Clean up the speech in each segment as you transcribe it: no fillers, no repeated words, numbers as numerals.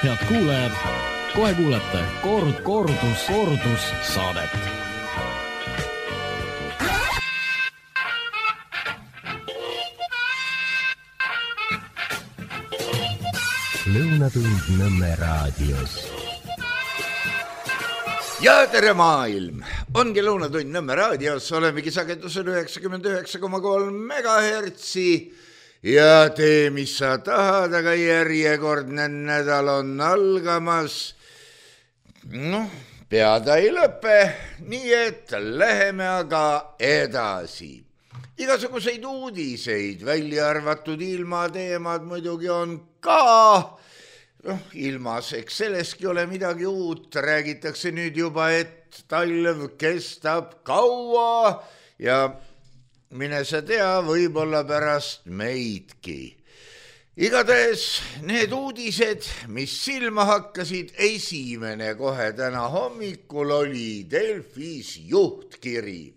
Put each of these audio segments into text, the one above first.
Head kuulajad, kohe kuulete kordus saadet. Lõunatund Nõmme raadios. Ja tere maailm! Ongi Lõunatund Nõmme raadios, olemegi sagedusel 99,3 megahertsi ja tee, mis sa tahad, aga järjekordne nädal on algamas. Pead ei lõpe, nii et läheme aga edasi. Igasuguseid uudiseid, välja arvatud ilmateemad muidugi on ka. Ilmas, eks selleski ole midagi uut, räägitakse nüüd juba, et talv kestab kaua ja mine sa tea, võib-olla pärast meidki. Igatahes need uudised, mis silma hakkasid, esimene kohe täna hommikul oli Delfis juhtkiri.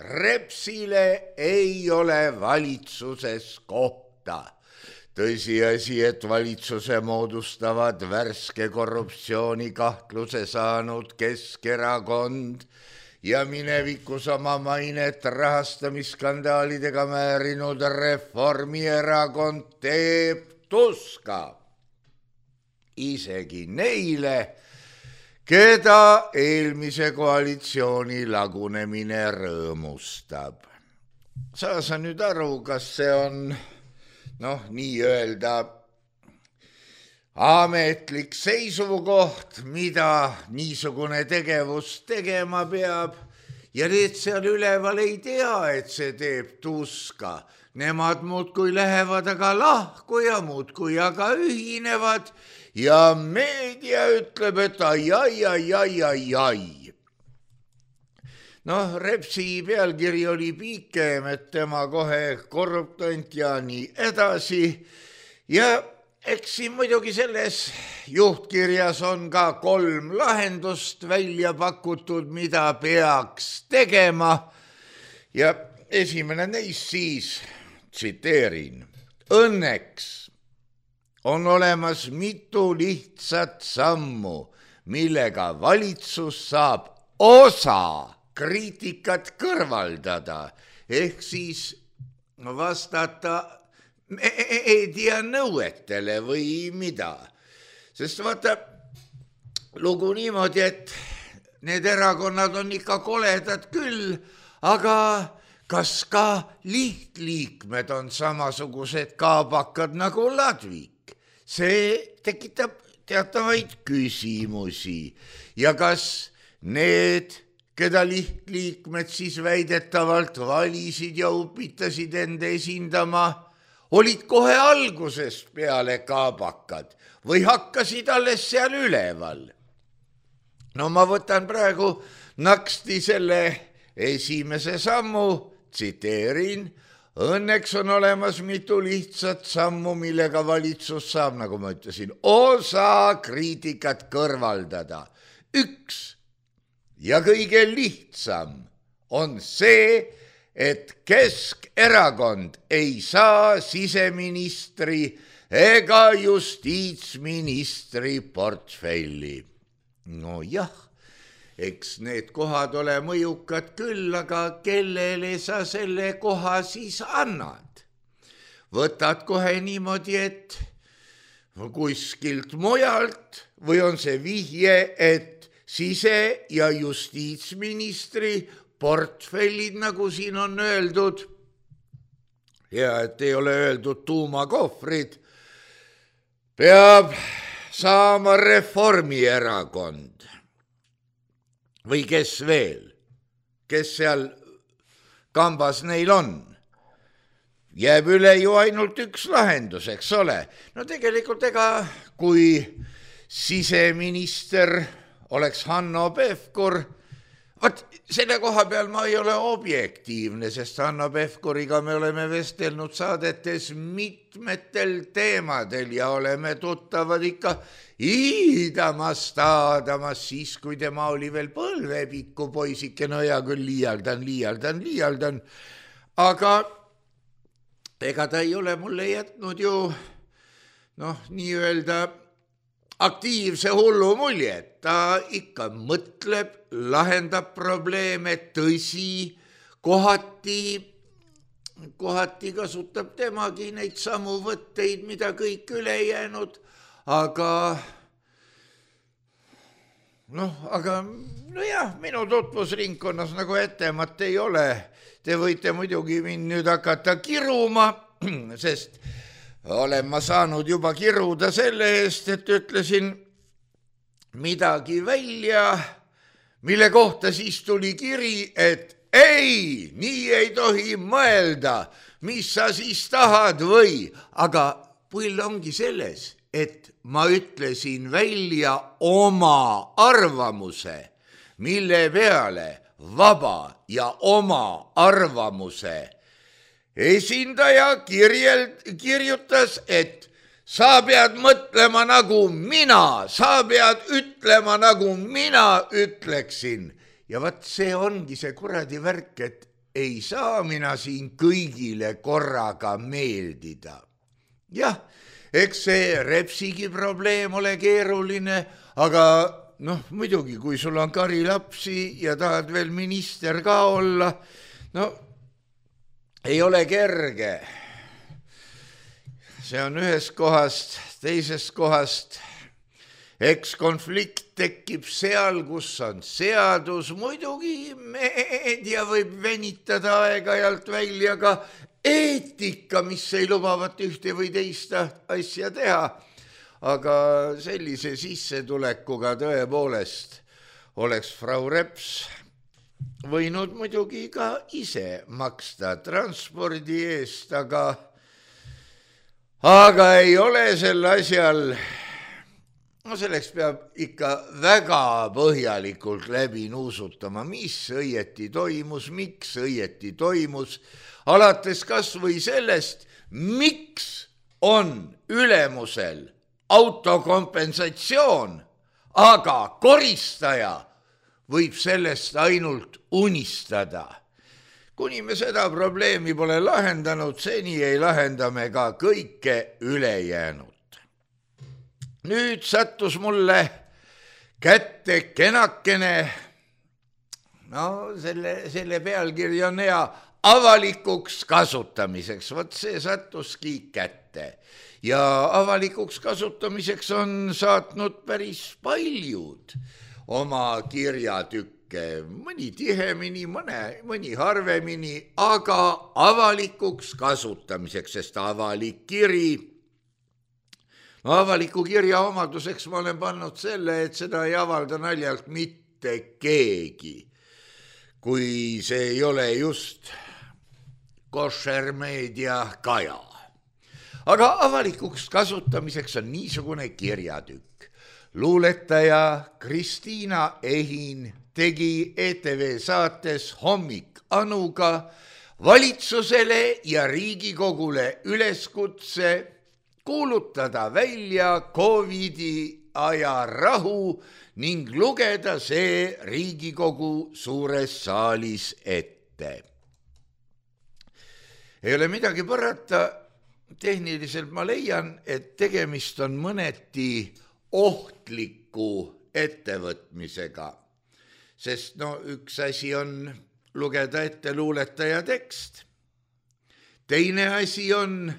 Repsile ei ole valitsuses kohta. Tõsiasi, et valitsuse moodustavad värske korruptsiooni kahtluse saanud Keskerakond ja minevikus oma mainet rahastamisskandaalidega määrinud Reformierakond teeb tuska. Isegi neile, keda eelmise koalitsiooni lagunemine rõõmustab. Saa sa nüüd aru, kas see on nii öelda ametlik seisukoht, mida niisugune tegevus tegema peab ja need seal üleval ei tea, et see teeb tuska. Nemad muudkui lähevad aga lahku ja muudkui aga ühinevad ja meedia ütleb, et ai. Repsi pealkiri oli pikem, et tema kohe korruptant ja nii edasi. Ja eks siin muidugi selles juhtkirjas on ka 3 lahendust välja pakutud, mida peaks tegema. Ja esimene neist siis, tsiteerin, õnneks on olemas mitu lihtsat sammu, millega valitsus saab osa kriitikat kõrvaldada, ehk siis vastata meedia nõuetele või mida. Sest vaata, lugu niimoodi, et need erakonnad on ikka koledad küll, aga kas ka lihtliikmed on samasugused kaabakad nagu Ladvik? See tekitab teatavaid küsimusi. Ja kas need, keda lihtliikmed siis väidetavalt valisid ja upitasid enda esindama, olid kohe algusest peale kaabakad või hakkasid alles seal üleval? Ma võtan praegu naksti selle esimese sammu, tsiteerin, õnneks on olemas mitu lihtsat sammu, millega valitsus saab, nagu ma ütlesin, osa kriitikat kõrvaldada. 1. Ja kõige lihtsam on see, et Keskerakond ei saa siseministri ega justiitsministri portfelli. Jah, eks need kohad ole mõjukad küll, aga kellele sa selle koha siis annad? Võtad kohe niimoodi, et kuskilt mujalt või on see vihje, et sise- ja justiitsministri portfellid, nagu siin on öeldud, ja et ei ole öeldud tuumakohvrid, peab saama Reformierakond. Või kes veel? Kes seal kambas neil on? Jääb üle ju ainult üks lahendus, eks ole. Tegelikult kui siseminister oleks Hanno Pevkur, selle koha peal ma ei ole objektiivne, sest Hanno Pevkuriga me oleme vestelnud saadetes mitmetel teemadel ja oleme tuttavad ikka iidamast siis, kui tema oli veel põlvepikku poisike, hea küll, liialdan, aga ega ta ei ole mulle jätnud ju nii öelda aktiivse hullu mulje, ta ikka mõtleb, lahendab probleeme, tõsi, kohati kasutab temagi neid samu võtteid, mida kõik ülejäänud, aga nojah, minu tutvusringkonnas nagu ettemat ei ole. Te võite muidugi mind nüüd hakata kiruma, sest olen ma saanud juba kiruda selle eest, et ütlesin midagi välja, mille kohta siis tuli kiri, et ei, nii ei tohi mõelda, mis sa siis tahad või, aga pull ongi selles, et ma ütlesin välja oma arvamuse, mille peale vaba ja oma arvamuse esindaja kirjutas, et sa pead mõtlema nagu mina, sa pead ütlema nagu mina ütleksin. Ja vaat see ongi see kuradi värk, et ei saa mina siin kõigile korraga meeldida. Jah, eks see Repsigi probleem ole keeruline, aga muidugi, kui sul on kari lapsi ja tahad veel minister ka olla, ei ole kerge. See on ühest kohast, teisest kohast. Eks konflikt tekib seal, kus on seadus. Muidugi meedia võib venitada aeg-ajalt välja ka eetika, mis ei lubavat ühte või teist asja teha. Aga sellise sissetulekuga tõepoolest oleks Frau Reps võinud muidugi ka ise maksta transpordi eest, aga ei ole sel asjal. Selleks peab ikka väga põhjalikult läbi nuusutama, mis õieti toimus, miks õieti toimus, alates kas või sellest, miks on ülemusel autokompensatsioon, aga koristaja võib sellest ainult unistada. Kuni me seda probleemi pole lahendanud, seni ei lahenda me ka kõike ülejäänud. Nüüd sattus mulle kätte kenakene, selle pealkiri on hea, avalikuks kasutamiseks. Vot see sattuski kätte. Ja avalikuks kasutamiseks on saatnud päris paljud oma kirjatükke, mõni tihemini, mõni harvemini, aga avalikuks kasutamiseks, sest avalik kiri. Avaliku kirja omaduseks ma olen pannud selle, et seda ei avalda naljalt mitte keegi, kui see ei ole just košermeedia kaja. Aga avalikuks kasutamiseks on niisugune kirjatükk. Luuletaja Kristiina Ehin tegi ETV saates Hommik Anuga valitsusele ja Riigikogule üleskutse kuulutada välja COVID-i aja rahu ning lugeda see Riigikogu suures saalis ette. Ei ole midagi parata, tehniliselt ma leian, et tegemist on mõneti ohtliku ettevõtmisega, sest üks asi on lugeda ette luuletaja tekst, teine asi on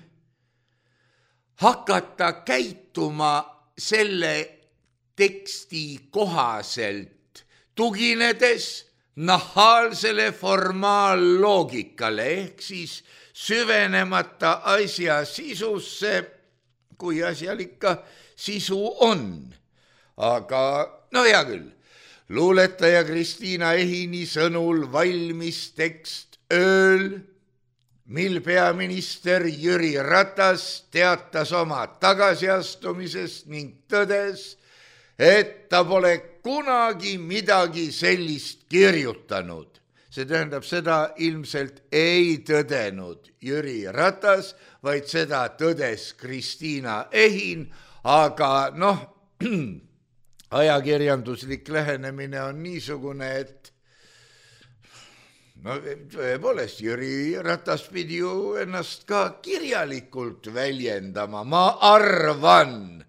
hakata käituma selle teksti kohaselt, tuginedes nahaalsele formaalloogikale, ehk siis süvenemata asja sisusse, kui asjal ikka sisu on. Aga hea küll, luuletaja Kristiina Ehini sõnul valmis tekst ööl, mil peaminister Jüri Ratas teatas oma tagasiastumisest ning tõdes, et ta pole kunagi midagi sellist kirjutanud. See tähendab, seda ilmselt ei tõdenud Jüri Ratas, vaid seda tõdes Kristiina Ehin, aga ajakirjanduslik lähenemine on niisugune, et tõepoolest, Jüri Ratas pidi ju ennast ka kirjalikult väljendama, ma arvan,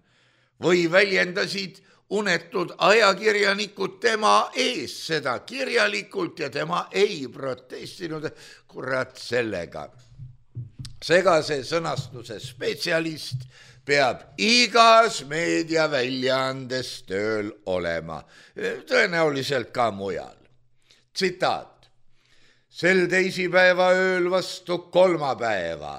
või väljendasid unetud ajakirjanikud tema ees seda kirjalikult ja tema ei protestinud, kurat sellega. Segase sõnastuse spetsialist peab igas meediaväljaandes tööl olema, tõenäoliselt ka mujal. Tsitaat. Sel teisipäeva ööl vastu kolmapäeva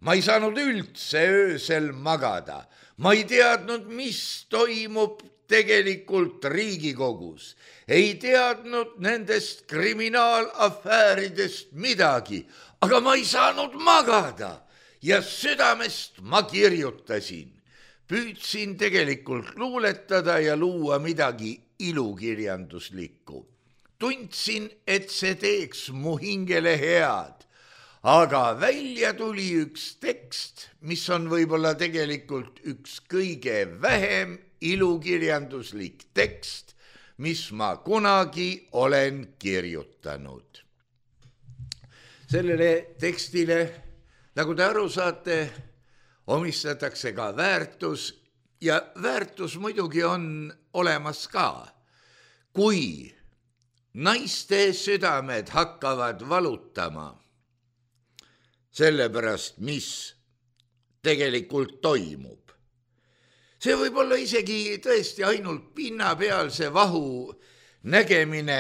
ma ei saanud üldse öösel magada. Ma ei teadnud, mis toimub tegelikult Riigikogus. Ei teadnud nendest kriminaalafääridest midagi, aga ma ei saanud magada ja südamest ma kirjutasin. Püüdsin tegelikult luuletada ja luua midagi ilukirjanduslikku. Tundsin, et see teeks mu hingele head, aga välja tuli üks tekst, mis on võib-olla tegelikult üks kõige vähem ilukirjanduslik tekst, mis ma kunagi olen kirjutanud. Sellele tekstile, nagu te aru saate, omistatakse ka väärtus ja väärtus muidugi on olemas ka. Kui naiste südamed hakkavad valutama sellepärast, mis tegelikult toimub. See võib olla isegi tõesti ainult pinnapealse vahu nägemine,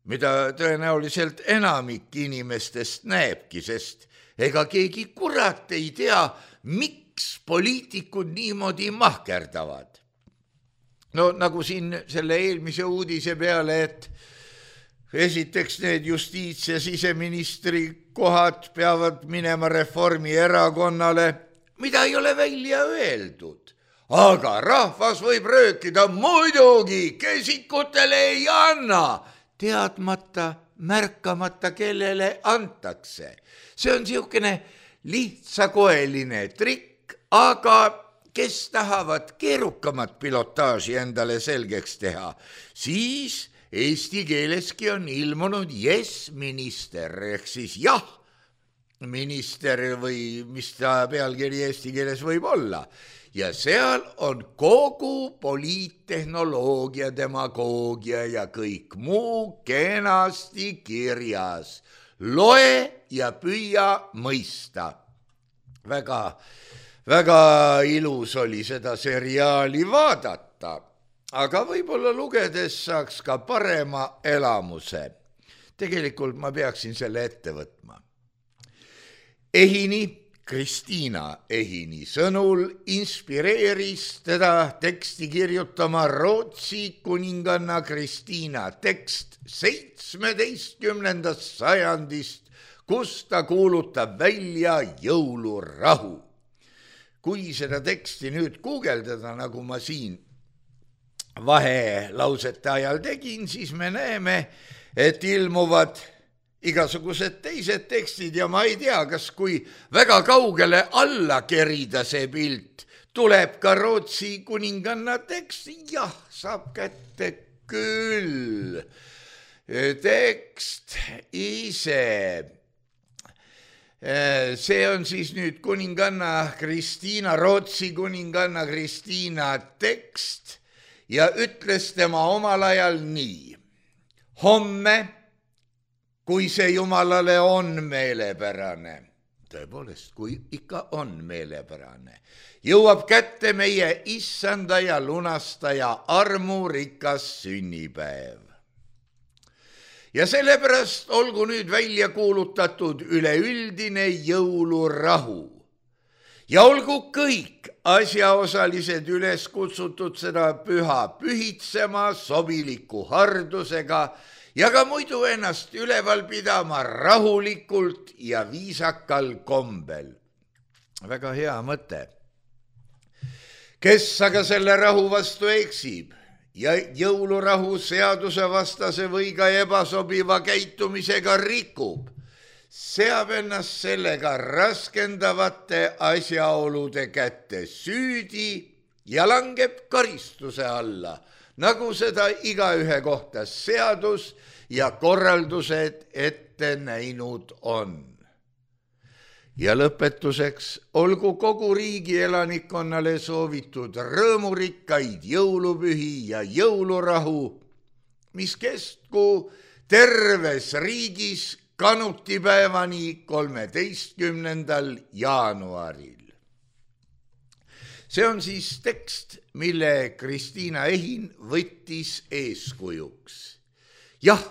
mida tõenäoliselt enamik inimestest näebki, sest ega keegi kurat ei tea, miks poliitikud niimoodi mahkerdavad. No nagu siin selle eelmise uudise peale, et esiteks need justiits- ja siseministri kohad peavad minema Reformierakonnale, mida ei ole välja öeldud. Aga rahvas võib röökida, muidugi kesikutele ei anna, teadmata, märkamata, kellele antakse. See on niisugune lihtsakoeline trikk, aga kes tahavad keerukamat pilotaaži endale selgeks teha, siis eesti keeleski on ilmunud yes-minister ehk siis jah, minister või mis ta pealkiri eesti keeles võib olla. Ja seal on kogu poliittehnoloogia, demagoogia ja kõik muu kenasti kirjas. Loe ja püüa mõista. Väga ilus oli seda seriaali vaadata, aga võib-olla lugedes saaks ka parema elamuse. Tegelikult ma peaksin selle ette võtma. Kristiina Ehini sõnul inspireeris teda teksti kirjutama Rootsi kuninganna Kristiina tekst 17. sajandist, kus ta kuulutab välja jõulurahu. Kui seda teksti nüüd guugeldada, nagu ma siin vahelausete ajal tegin, siis me näeme, et ilmuvad igasugused teised tekstid ja ma ei tea, kas kui väga kaugele alla kerida see pilt, tuleb ka Rootsi kuninganna tekst. Jah, saab kätte küll. Tekst ise. See on siis nüüd kuninganna Kristiina, Rootsi kuninganna Kristiina tekst ja ütles tema omal ajal nii. Homme, kui see Jumalale on meelepärane, tõepoolest, kui ikka on meelepärane, jõuab kätte meie issanda ja lunastaja armurikas sünnipäev. Ja sellepärast olgu nüüd välja kuulutatud üleüldine jõulurahu ja olgu kõik asjaosalised üles kutsutud seda püha pühitsema sobiliku hardusega ja ka muidu ennast üleval pidama rahulikult ja viisakal kombel. Väga hea mõte. Kes aga selle rahu vastu eksib ja jõulurahu seaduse vastase või ka ebasobiva käitumisega rikub, seab ennast sellega raskendavate asjaolude kätte süüdi ja langeb karistuse alla, nagu seda igaühe kohta seadus ja korraldused ette näinud on. ja lõpetuseks olgu kogu riigi elanikkonnale soovitud rõõmurikkaid jõulupühi ja jõulurahu, mis kestku terves riigis kanutipäevani 13. jaanuaril. See on siis tekst, mille Kristiina Ehin võttis eeskujuks. Jah,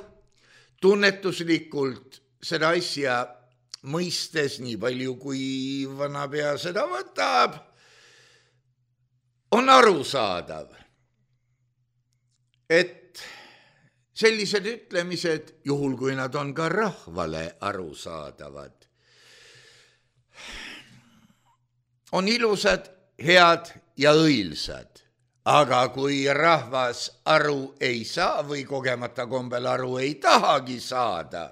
tunnetuslikult seda asja mõistes, nii palju kui vanapea seda võtab, on arusaadav, et sellised ütlemised, juhul kui nad on ka rahvale arusaadavad, on ilusad, head ja õilsad. Aga kui rahvas aru ei saa või kogemata kombel aru ei tahagi saada,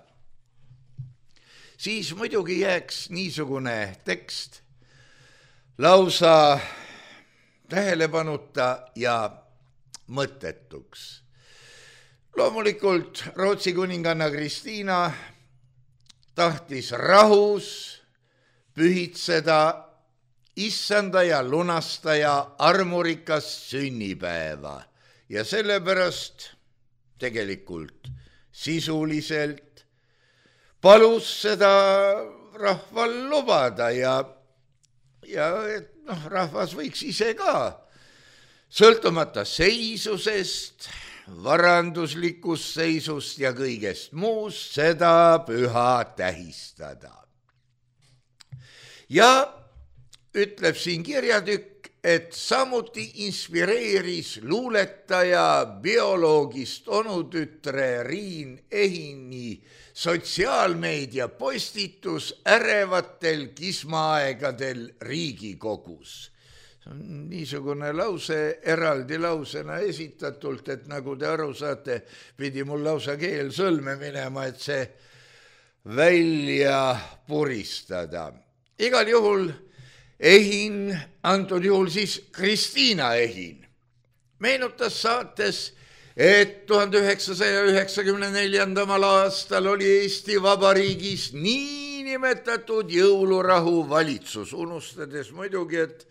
siis muidugi jääks niisugune tekst lausa tähelepanuta ja mõttetuks. Loomulikult Rootsi kuninganna Kristiina tahtis rahus pühitseda issanda ja lunastaja armurikast sünnipäeva ja sellepärast tegelikult sisuliselt palus seda rahval lubada ja et rahvas võiks ise ka sõltumata seisusest, varanduslikust seisust ja kõigest muust seda püha tähistada. Ja ütleb siin kirjatükk, et samuti inspireeris luuletaja bioloogist onutütre Riin Ehini sotsiaalmeedia postitus ärevatel kismaaegadel Riigikogus. See on niisugune lause eraldi lausena esitatult, et nagu te aru saate, pidi mul lausa keel sõlme minema, et see välja puristada. Igal juhul Ehin, antud juhul siis Kristiina Ehin, meenutas saates, et 1994. aastal oli Eesti Vabariigis niinimetatud jõulurahu valitsus, unustades muidugi, et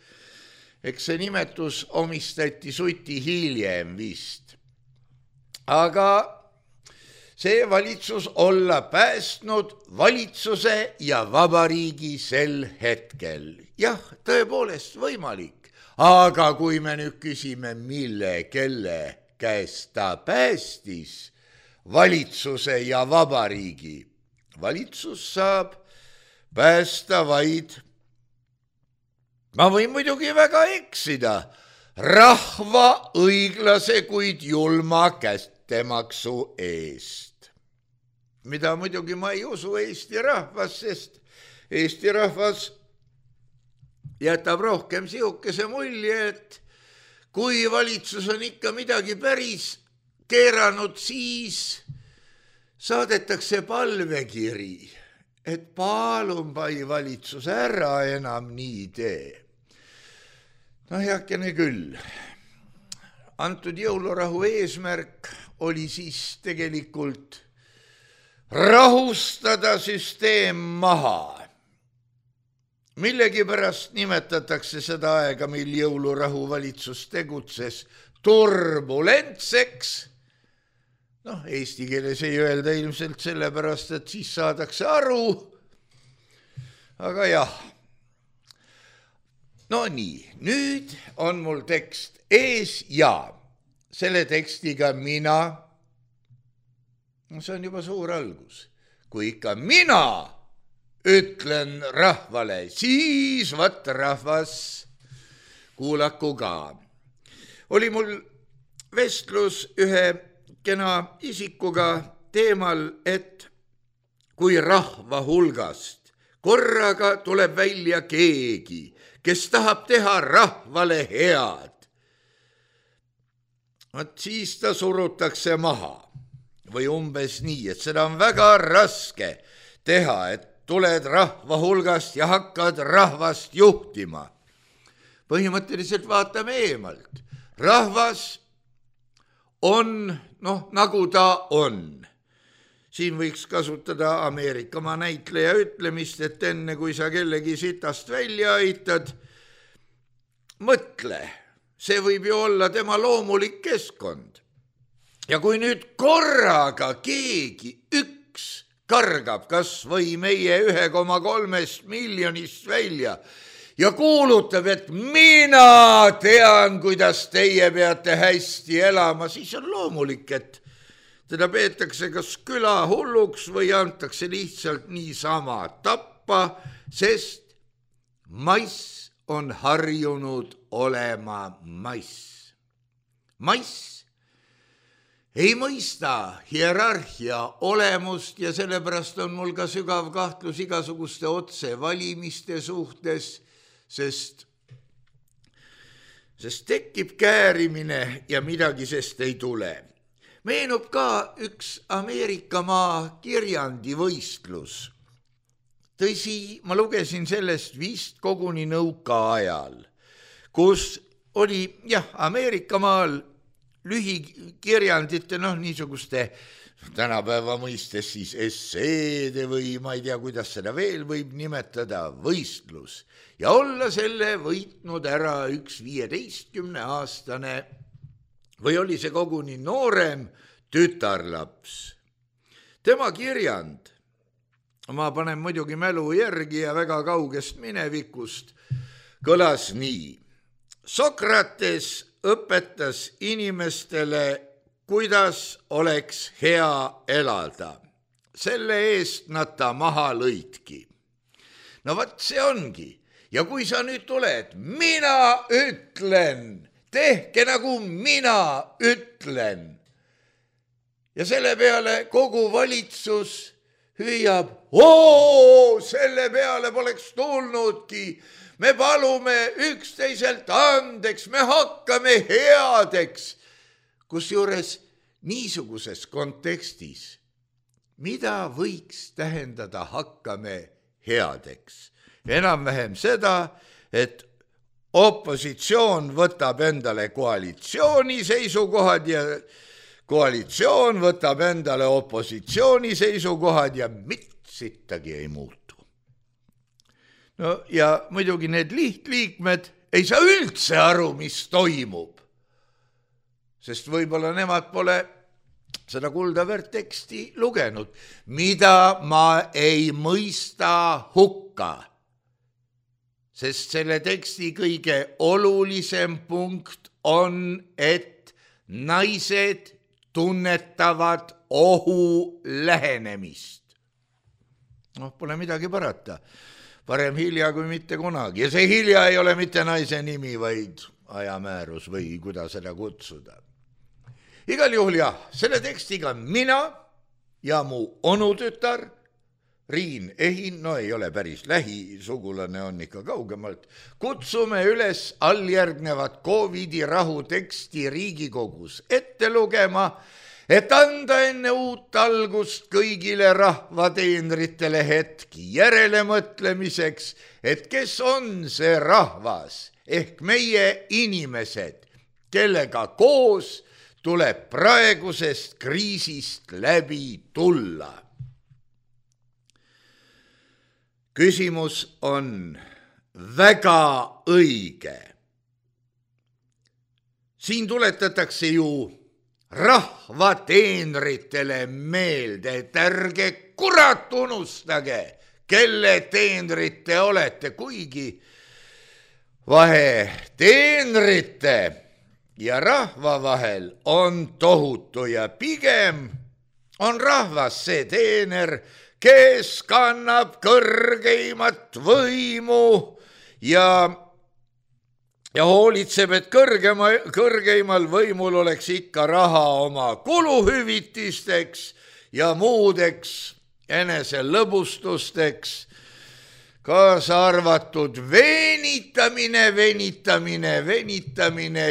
eks see nimetus omistati suti hiljem vist. Aga see valitsus olla päästnud valitsuse ja vabariigi sel hetkel. Jah, tõepoolest võimalik, aga kui me nüüd küsime, mille, kelle käest ta päästis valitsuse ja vabariigi, valitsus saab päästa vaid, ma võin muidugi väga eksida, rahva õiglase kuid julma kättemaksu eest. Mida muidugi ma ei usu Eesti rahvas, sest Eesti rahvas jätab rohkem sihukese mulje, et kui valitsus on ikka midagi päris keeranud, siis saadetakse palvekiri, et palun pai valitsus ära enam nii tee. Heakene küll. Antud jõulurahu eesmärk oli siis tegelikult rahustada süsteem maha. Millegipärast nimetatakse seda aega, mil jõulurahu valitsus tegutses, turbulentseks. Eesti keeles ei öelda ilmselt sellepärast, et siis saadakse aru. Aga jah. No nii, nüüd on mul tekst ees ja selle tekstiga mina, see on juba suur algus, kui ikka mina ütlen rahvale, siis vat rahvas kuulaku ka. Oli mul vestlus ühe kena isikuga teemal, et kui rahva hulgast korraga tuleb välja keegi, kes tahab teha rahvale head, siis ta surutakse maha või umbes nii, et seda on väga raske teha, et tuled rahva hulgast ja hakkad rahvast juhtima. Põhimõtteliselt vaatame eemalt. Rahvas on, nagu ta on. siin võiks kasutada Ameerikamaa näitleja ütlemist, et enne kui sa kellegi sitast välja aitad, mõtle, see võib ju olla tema loomulik keskkond. Ja kui nüüd korraga keegi üks kargab kas või meie 1,3 miljonist välja ja kuulutab, et mina tean, kuidas teie peate hästi elama, siis on loomulik, et teda peetakse kas küla hulluks või antakse lihtsalt niisama tappa, sest mass on harjunud olema mass. Mass ei mõista hierarhia olemust ja sellepärast on mul ka sügav kahtlus igasuguste otsevalimiste suhtes, sest tekib käärimine ja midagi sest ei tule. Meenub ka üks Ameerikamaa kirjandivõistlus. Tõsi, ma lugesin sellest vist koguni nõukaajal, kus oli Ameerikamaal lühikirjandite, niisuguste tänapäeva mõistes siis esseede või ma ei tea, kuidas seda veel võib nimetada, võistlus. Ja olla selle võitnud ära üks 15-aastane või oli see koguni noorem tütarlaps. Tema kirjand, ma panen muidugi mälu järgi ja väga kaugest minevikust, kõlas nii. Sokrates õpetas inimestele, kuidas oleks hea elada. Selle eest nad ta maha lõidki. No vaat see ongi. Ja kui sa nüüd tuled, mina ütlen, tehke nagu mina ütlen. Ja selle peale kogu valitsus hüüab, selle peale poleks tulnudki. Me palume üksteiselt andeks, me hakkame headeks. Kusjuures niisuguses kontekstis, mida võiks tähendada hakkame headeks? Enam-vähem seda, et opositsioon võtab endale koalitsiooni seisukohad ja koalitsioon võtab endale opositsiooni seisukohad ja mitsittagi ei muutu. No ja muidugi need lihtliikmed ei saa üldse aru, mis toimub, sest võib-olla nemad pole seda kuldaväärt teksti lugenud, mida ma ei mõista hukka. Sest selle teksti kõige olulisem punkt on, et naised tunnetavad ohu lähenemist. Pole midagi parata. Parem hilja kui mitte kunagi. Ja see hilja ei ole mitte naise nimi, vaid ajamäärus või kuidas seda kutsuda. Igal juhul selle tekstiga mina ja mu onutütar Riin Ehin, ei ole päris lähisugulane, on ikka kaugemalt, kutsume üles alljärgnevat COVID-i rahu teksti Riigikogus ette lugema, et anda enne uut algust kõigile rahvateenritele hetki järelemõtlemiseks, et kes on see rahvas ehk meie inimesed, kellega koos tuleb praegusest kriisist läbi tulla. Küsimus on väga õige. Siin tuletatakse ju rahvateenritele meelde, et ärge kurat unustage, kelle teenrid te olete, kuigi vahe teenrite ja rahva vahel on tohutu ja pigem on rahvas see teener, kes kannab kõrgeimat võimu ja hoolitseb, et kõrgeimal võimul oleks ikka raha oma kuluhüvitisteks ja muudeks eneselõbustusteks, kaasa arvatud venitamine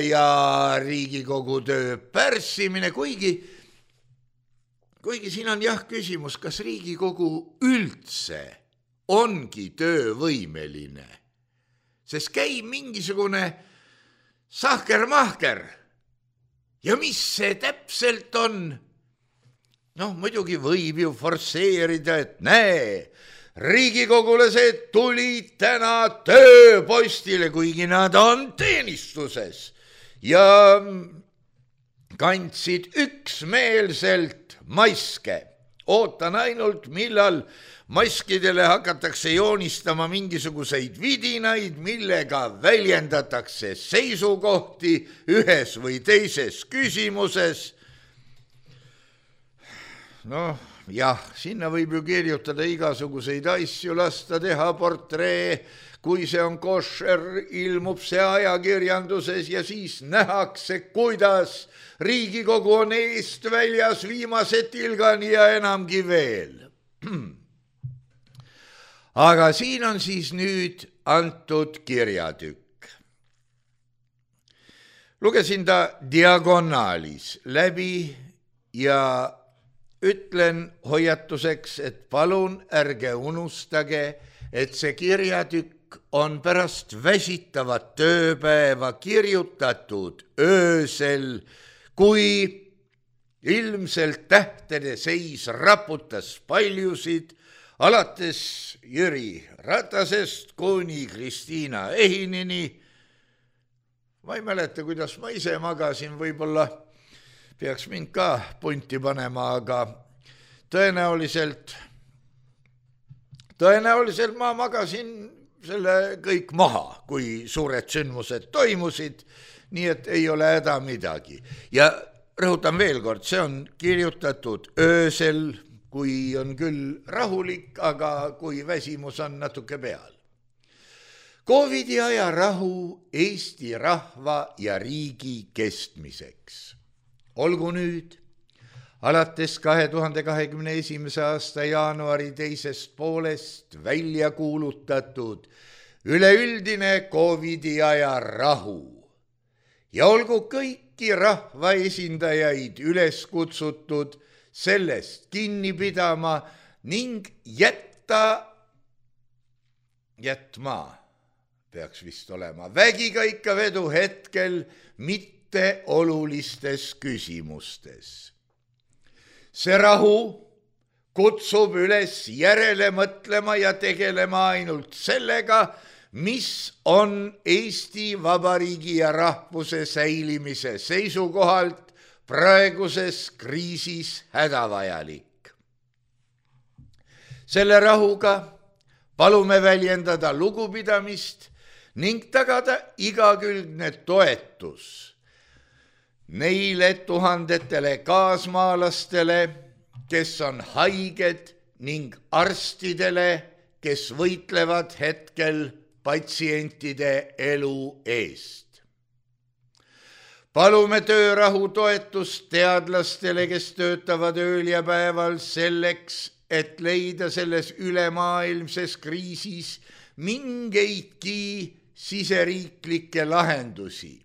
ja Riigikogu töö pärssimine, kuigi siin on küsimus, kas Riigikogu üldse ongi töövõimeline, sest käib mingisugune sahker-mahker. Ja mis see täpselt on? noh, muidugi võib ju forsseerida, et näe, riigikogulased tulid täna tööpostile, kuigi nad on teenistuses ja kandsid üksmeelselt maske. Ootan ainult, millal maskidele hakatakse joonistama mingisuguseid vidinaid, millega väljendatakse seisukohti ühes või teises küsimuses. Noh, jah, sinna võib ju kirjutada igasuguseid asju, lasta teha portree, kui see on koššer, ilmub see ajakirjanduses ja siis nähakse, kuidas Riigikogu on eest väljas viimase tilgani ja enamgi veel. Aga siin on siis nüüd antud kirjatükk. Lugesin ta diagonaalis läbi ja ütlen hoiatuseks, et palun ärge unustage, et see kirjatükk on pärast väsitavat tööpäeva kirjutatud öösel, kui ilmselt tähtede seis raputas paljusid, alates Jüri Ratasest kuni Kristiina Ehinini. Ma ei mäleta, kuidas ma ise magasin, võib-olla peaks mind ka punti panema, aga tõenäoliselt ma magasin selle kõik maha, kui suured sündmused toimusid, nii et ei ole häda midagi. Ja rõhutan veel kord, see on kirjutatud öösel, kui on küll rahulik, aga kui väsimus on natuke peal. Covidi aja rahu Eesti rahva ja riigi kestmiseks. Olgu nüüd, alates 2021. aasta jaanuari teisest poolest välja kuulutatud üleüldine Covidi aja rahu ja olgu kõiki rahvaesindajaid üles kutsutud sellest kinni pidama ning jätma peaks vist olema vägikaikavedu hetkel mitte olulistes küsimustes. See rahu kutsub üles järele mõtlema ja tegelema ainult sellega, mis on Eesti Vabariigi ja rahvuse säilimise seisukohalt praeguses kriisis hädavajalik. Selle rahuga palume väljendada lugupidamist ning tagada igakülgne toetus neile tuhandetele kaasmaalastele, kes on haiged ning arstidele, kes võitlevad hetkel patsientide elu eest. Palume töörahu toetust teadlastele, kes töötavad ööl ja päeval selleks, et leida selles ülemaailmses kriisis mingeidki siseriiklikke lahendusi.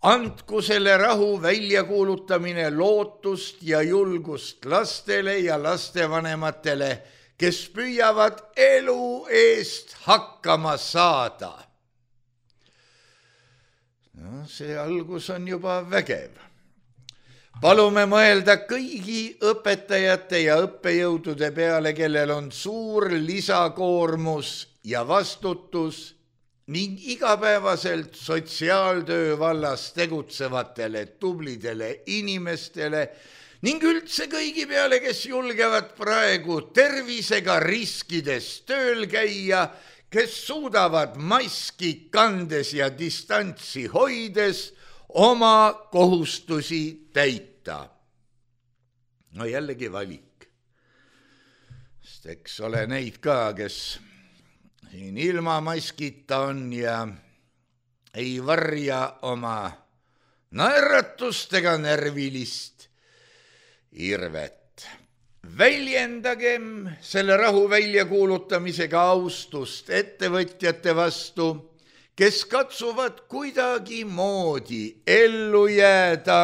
Andku selle rahu väljakuulutamine lootust ja julgust lastele ja lastevanematele, kes püüavad elu eest hakkama saada. No, see algus on juba vägev. Palume mõelda kõigi õpetajate ja õppejõudude peale, kellel on suur lisakoormus ja vastutus ning igapäevaselt sotsiaaltöö vallas tegutsevatele tublidele inimestele ning üldse kõigi peale, kes julgevad praegu tervisega riskides tööl käia, kes suudavad maski kandes ja distantsi hoides oma kohustusi täita. No jällegi valik. Sest eks ole neid ka, kes siin ilma maskita on ja ei varja oma naeratust ega närvilist irvet. Väljendagem selle rahu väljakuulutamisega austust ettevõtjate vastu, kes katsuvad kuidagi moodi ellu jääda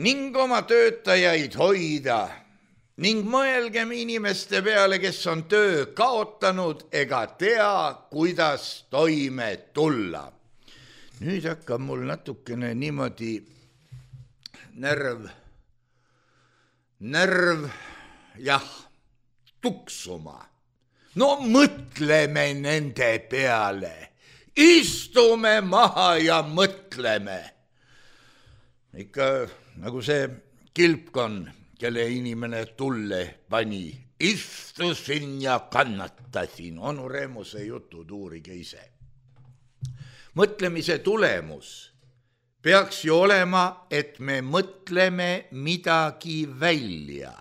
ning oma töötajaid hoida ning mõelgem inimeste peale, kes on töö kaotanud ega tea, kuidas toime tulla. Nüüd hakkab mul natukene niimoodi närv, jah, tuksuma. No mõtleme nende peale, istume maha ja mõtleme. Ikka nagu see kilpkon, kelle inimene tulle pani, istusin ja kannatasin, onu Remuse jutud uurige ise. Mõtlemise tulemus peaks ju olema, et me mõtleme midagi välja.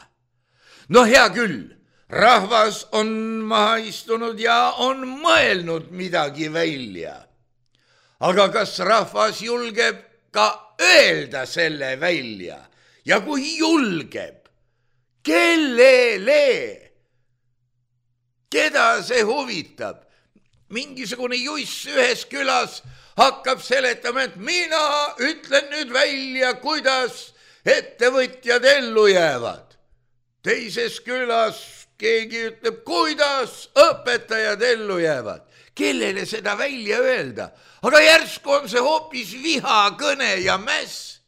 No hea küll, rahvas on maha istunud ja on mõelnud midagi välja. Aga kas rahvas julgeb ka öelda selle välja? Ja kui julgeb, kellele? Keda see huvitab? Mingisugune juiss ühes külas hakkab seletama, et mina ütlen nüüd välja, kuidas ettevõtjad ellu jäävad. Teises külas keegi ütleb, kuidas õpetajad ellu jäävad. Kellele seda välja öelda? Aga järsku on see hoopis vihakõne ja mäss.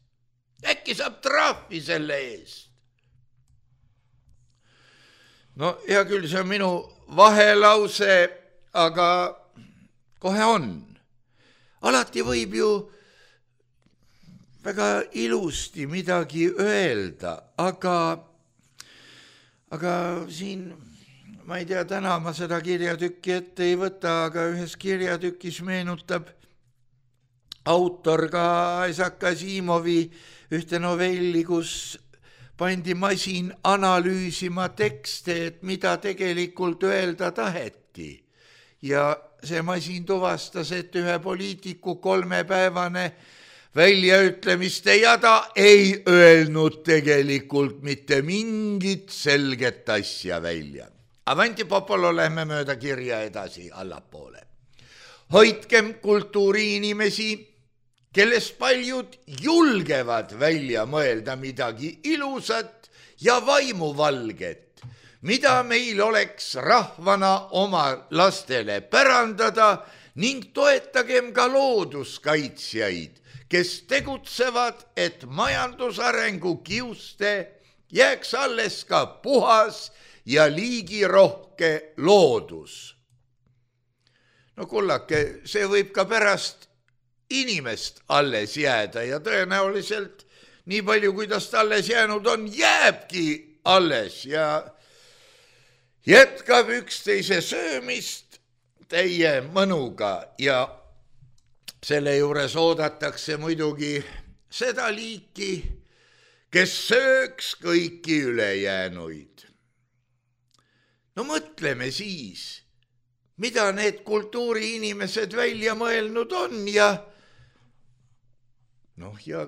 Äkki saab trahvi selle eest. No hea küll, see on minu vahelause, aga kohe on. Alati võib ju väga ilusti midagi öelda, aga siin, ma ei tea, täna ma seda kirjatükki ette ei võta, aga ühes kirjatükis meenutab autor ka Isaac Asimovi ühte novelli, kus pandi masin analüüsima tekste, et mida tegelikult öelda taheti. Ja see masin tuvastas, et ühe poliitiku 3-päevane väljaütlemiste jada ei öelnud tegelikult mitte mingit selget asja välja. Avanti Popolo, lähme mööda kirja edasi allapoole. Hoidkem kultuuriinimesi, kellest paljud julgevad välja mõelda midagi ilusat ja vaimuvalget, mida meil oleks rahvana oma lastele pärandada, ning toetagem ka looduskaitsjaid, kes tegutsevad, et majandusarengu kiuste jääks alles ka puhas ja liigirohke loodus. No kullake, see võib ka pärast inimest alles jääda ja tõenäoliselt nii palju, kuidas ta alles jäänud on, jääbki alles ja jätkab üksteise söömist täie mõnuga ja selle juures oodatakse muidugi seda liiki, kes sööks kõiki ülejäänuid. No mõtleme siis, mida need kultuuriinimesed välja mõelnud on ja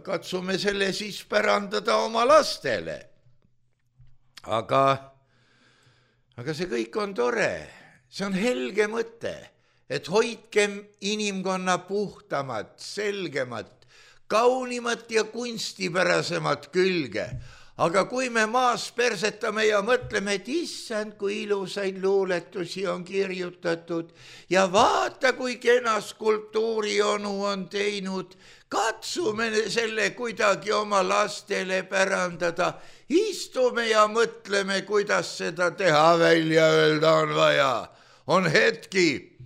katsume selle siis pärandada oma lastele. Aga see kõik on tore, see on helge mõte, et hoidkem inimkonna puhtamat, selgemat, kaunimat ja kunstipärasemat külge. Aga kui me maas persetame ja mõtleme, et issand, kui ilusaid luuletusi on kirjutatud ja vaata, kui kena skulptuurionu on teinud, katsume selle kuidagi oma lastele pärandada, istume ja mõtleme, kuidas seda teha, välja öelda on vaja, on hetki.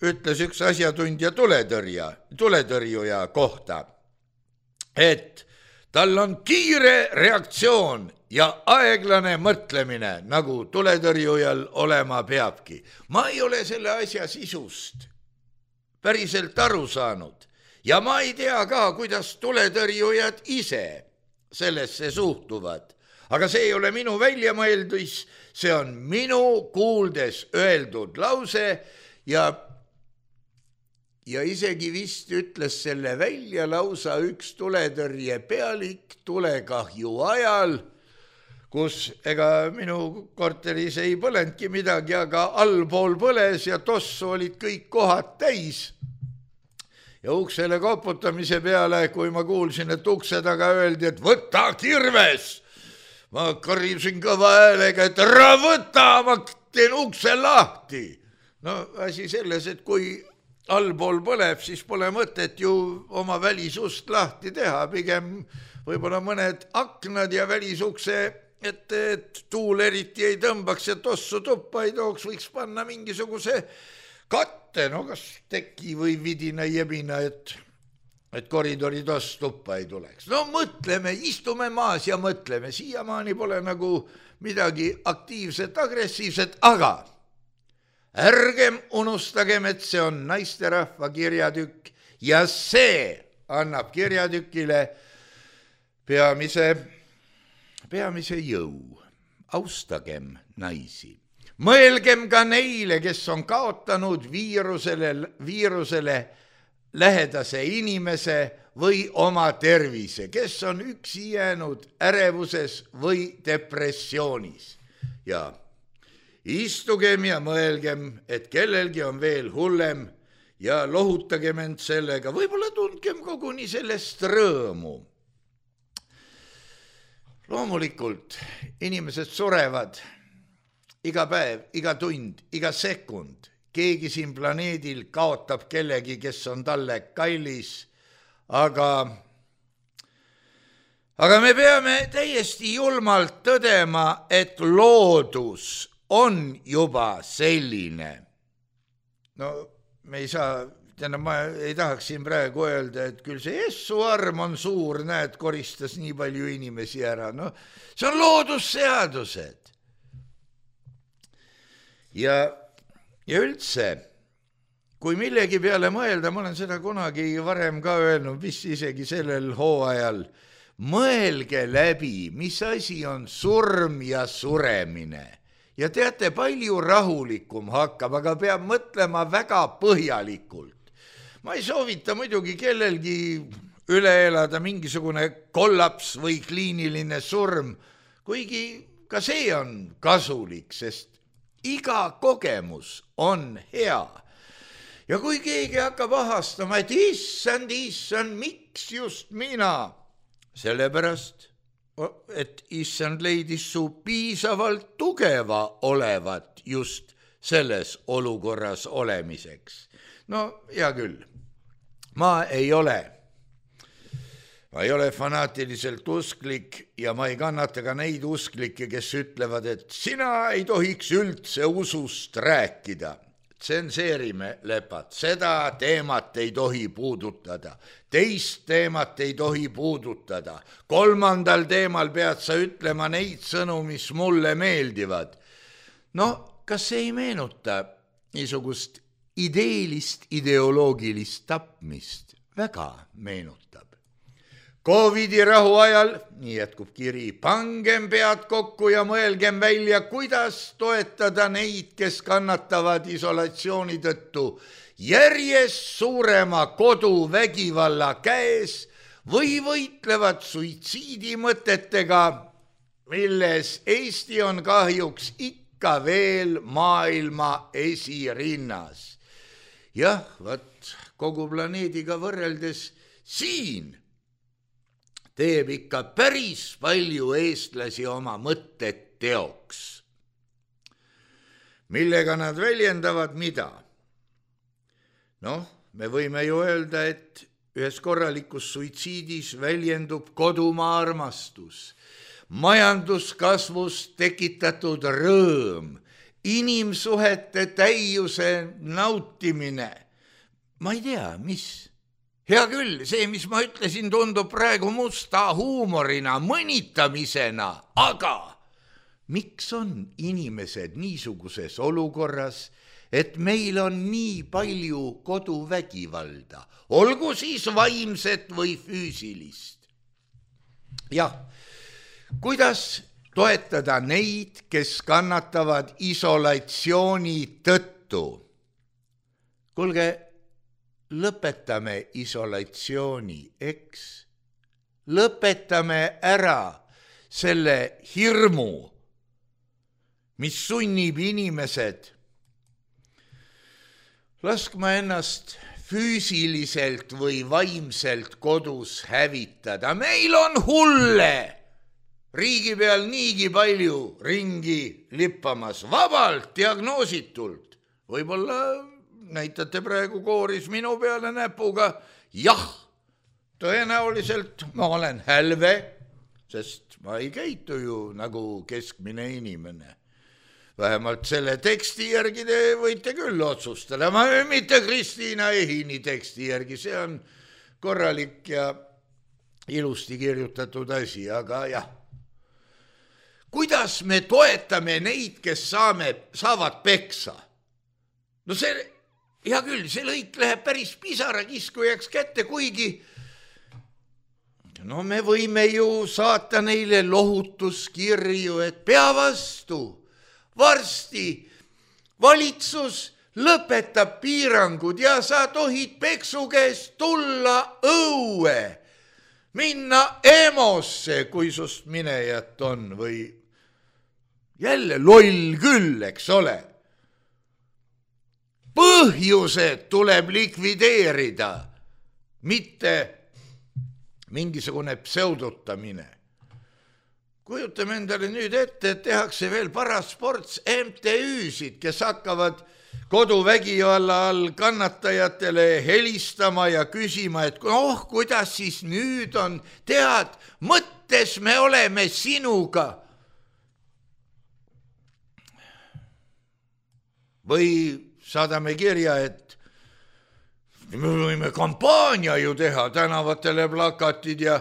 Ütles üks asjatundja tuletõrjuja kohta, et tal on kiire reaktsioon ja aeglane mõtlemine, nagu tuletõrjujal olema peabki. Ma ei ole selle asja sisust päriselt aru saanud ja ma ei tea ka, kuidas tuletõrjujad ise sellesse suhtuvad. Aga see ei ole minu väljamõeldus, see on minu kuuldes öeldud lause ja isegi vist ütles selle välja lausa üks tuletõrje pealik tulekahju ajal, kus ega minu korteris ei põlendki midagi, aga allpool põles ja tossu olid kõik kohad täis. Ja uksele koputamise peale, kui ma kuulsin, et ukse taga öeldi, et võta kirves, ma karjusin kõva häälega, et ära võta, ma teen ukse lahti. Asi selles, et kui allpool põleb, siis pole mõtet ju oma välisust lahti teha, pigem võib-olla mõned aknad ja välisukse, et tuul eriti ei tõmbaks ja tossu tuppa ei tooks, võiks panna mingisuguse katte, no kas teki või vidina jebina, et koridori toss tuppa ei tuleks. No mõtleme, istume maas ja mõtleme, siiamaani pole nagu midagi aktiivset, agressiivset, aga ärgem unustagem, et see on naisterahva kirjatükk ja see annab kirjatükile peamise jõu. Austagem naisi. Mõelgem ka neile, kes on kaotanud viirusele lähedase inimese või oma tervise, kes on üksi jäänud ärevuses või depressioonis. Ja istugem ja mõelgem, et kellelgi on veel hullem ja lohutagem end sellega, võib-olla tundkem koguni sellest rõõmu. Loomulikult inimesed surevad iga päev, iga tund, iga sekund. Keegi siin planeedil kaotab kellegi, kes on talle kallis, aga me peame täiesti julmalt tõdema, et loodus on juba selline. No me ei saa, ma ei tahaks siin praegu öelda, et küll see essuarm on suur, näed, koristas nii palju inimesi ära. No see on loodusseadused. Ja üldse, kui millegi peale mõelda, ma olen seda kunagi varem ka öelnud, vist isegi sellel hooajal, mõelge läbi, mis asi on surm ja suremine. Ja teate, palju rahulikum hakkab, aga peab mõtlema väga põhjalikult. Ma ei soovita muidugi kellelgi üle elada mingisugune kollaps või kliiniline surm, kuigi ka see on kasulik, sest iga kogemus on hea. Ja kui keegi hakkab ahastama, et issand, miks just mina? Sellepärast, et issand leidis su piisavalt tugeva olevat just selles olukorras olemiseks. No hea küll, ma ei ole fanaatiliselt usklik ja ma ei kannata ka neid usklikke, kes ütlevad, et sina ei tohiks üldse usust rääkida. Tsenseerime, lepad, seda teemat ei tohi puudutada, teist teemat ei tohi puudutada, kolmandal teemal pead sa ütlema neid sõnu, mis mulle meeldivad. No, kas see ei meenuta niisugust ideoloogilist tapmist? Väga meenutab. Covidi rahu ajal, nii jätkub kiri, pangem pead kokku ja mõelgem välja, kuidas toetada neid, kes kannatavad isolatsiooni tõttu järjest suurema koduvägivalla käes või võitlevad suitsiidimõtetega, milles Eesti on kahjuks ikka veel maailma esirinnas. Jah, võt kogu planeediga võrreldes siin teeb ikka päris palju eestlasi oma mõtted teoks. Millega nad väljendavad mida? Noh, me võime ju öelda, et ühes korralikus suitsiidis väljendub kodumaa armastus, majanduskasvust tekitatud rõõm, inimsuhete täiuse nautimine. Ma ei tea, mis? Hea küll, see, mis ma ütlesin, tundub praegu musta huumorina, mõnitamisena, aga miks on inimesed niisuguses olukorras, et meil on nii palju koduvägivalda, olgu siis vaimset või füüsilist? Jah, kuidas toetada neid, kes kannatavad isolatsiooni tõttu? Kuulge, lõpetame isolatsiooni, eks? Lõpetame ära selle hirmu, mis sunnib inimesed laskma ennast füüsiliselt või vaimselt kodus hävitada. Meil on hulle riigi peal niigi palju ringi lippamas, vabalt, diagnoositult. Võib-olla näitate praegu kooris minu peale näpuga, jah, tõenäoliselt ma olen hälve, sest ma ei käitu ju nagu keskmine inimene. Vähemalt selle teksti järgi te võite küll otsustada, mitte Kristiina Ehini teksti järgi, see on korralik ja ilusti kirjutatud asi, aga jah. Kuidas me toetame neid, kes saavad peksa? No see, hea küll, see lõik läheb päris pisarakiskujaks kätte, kuigi no me võime ju saata neile lohutuskirju, et pea vastu, varsti valitsus lõpetab piirangud ja sa tohid peksu käest tulla õue, minna EMO-sse, kui sust minejat on või jälle loll küll, eks ole. Põhjused tuleb likvideerida, mitte mingisugune pseudotamine. Kujutame endale nüüd ette, et tehakse veel parasports MTÜ-sid, kes hakkavad koduvägivalla all kannatajatele helistama ja küsima, et kuidas siis nüüd on, tead, mõttes me oleme sinuga. Või saadame kirja, et me võime kampaania ju teha, tänavatele plakatid ja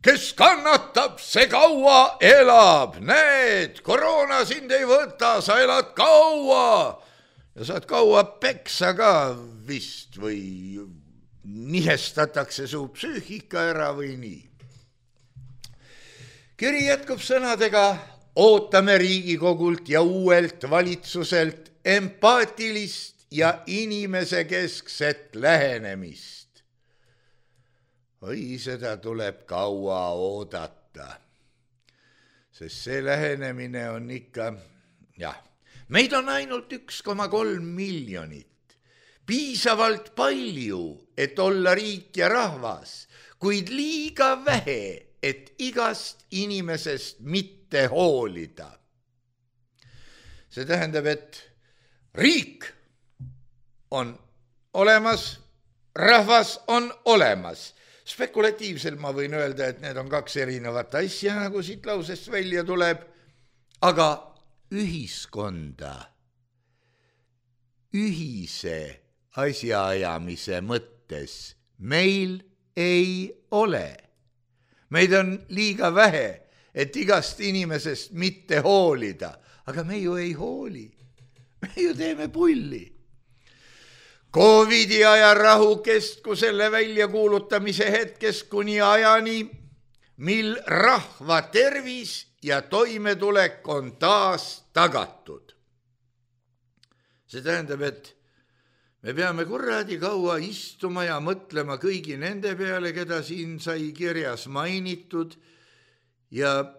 kes kannatab, see kaua elab, näed, koroona sind ei võta, sa elad kaua ja saad kaua peksa ka vist või nihestatakse su psüühika ära või nii. Kiri jätkub sõnadega, ootame Riigikogult ja uuelt valitsuselt empaatilist ja inimese keskset lähenemist. Oi, seda tuleb kaua oodata, sest see lähenemine on ikka, meid on ainult 1,3 miljonit, piisavalt palju, et olla riik ja rahvas, kuid liiga vähe, et igast inimesest mitte hoolida. See tähendab, et riik on olemas, rahvas on olemas. Spekulatiivselt ma võin öelda, et need on kaks erinevat asja, nagu siit lausest välja tuleb, aga ühiskonda, ühise asjaajamise mõttes meil ei ole. Meid on liiga vähe, et igast inimesest mitte hoolida, aga me ju ei hooli. Me ju teeme pulli. Covidi aja rahukest, kui selle väljakuulutamise hetkest kuni ajani, mil rahva tervis ja toimetulek on taas tagatud. See tähendab, et me peame kuradi kaua istuma ja mõtlema kõigi nende peale, keda siin sai kirjas mainitud ja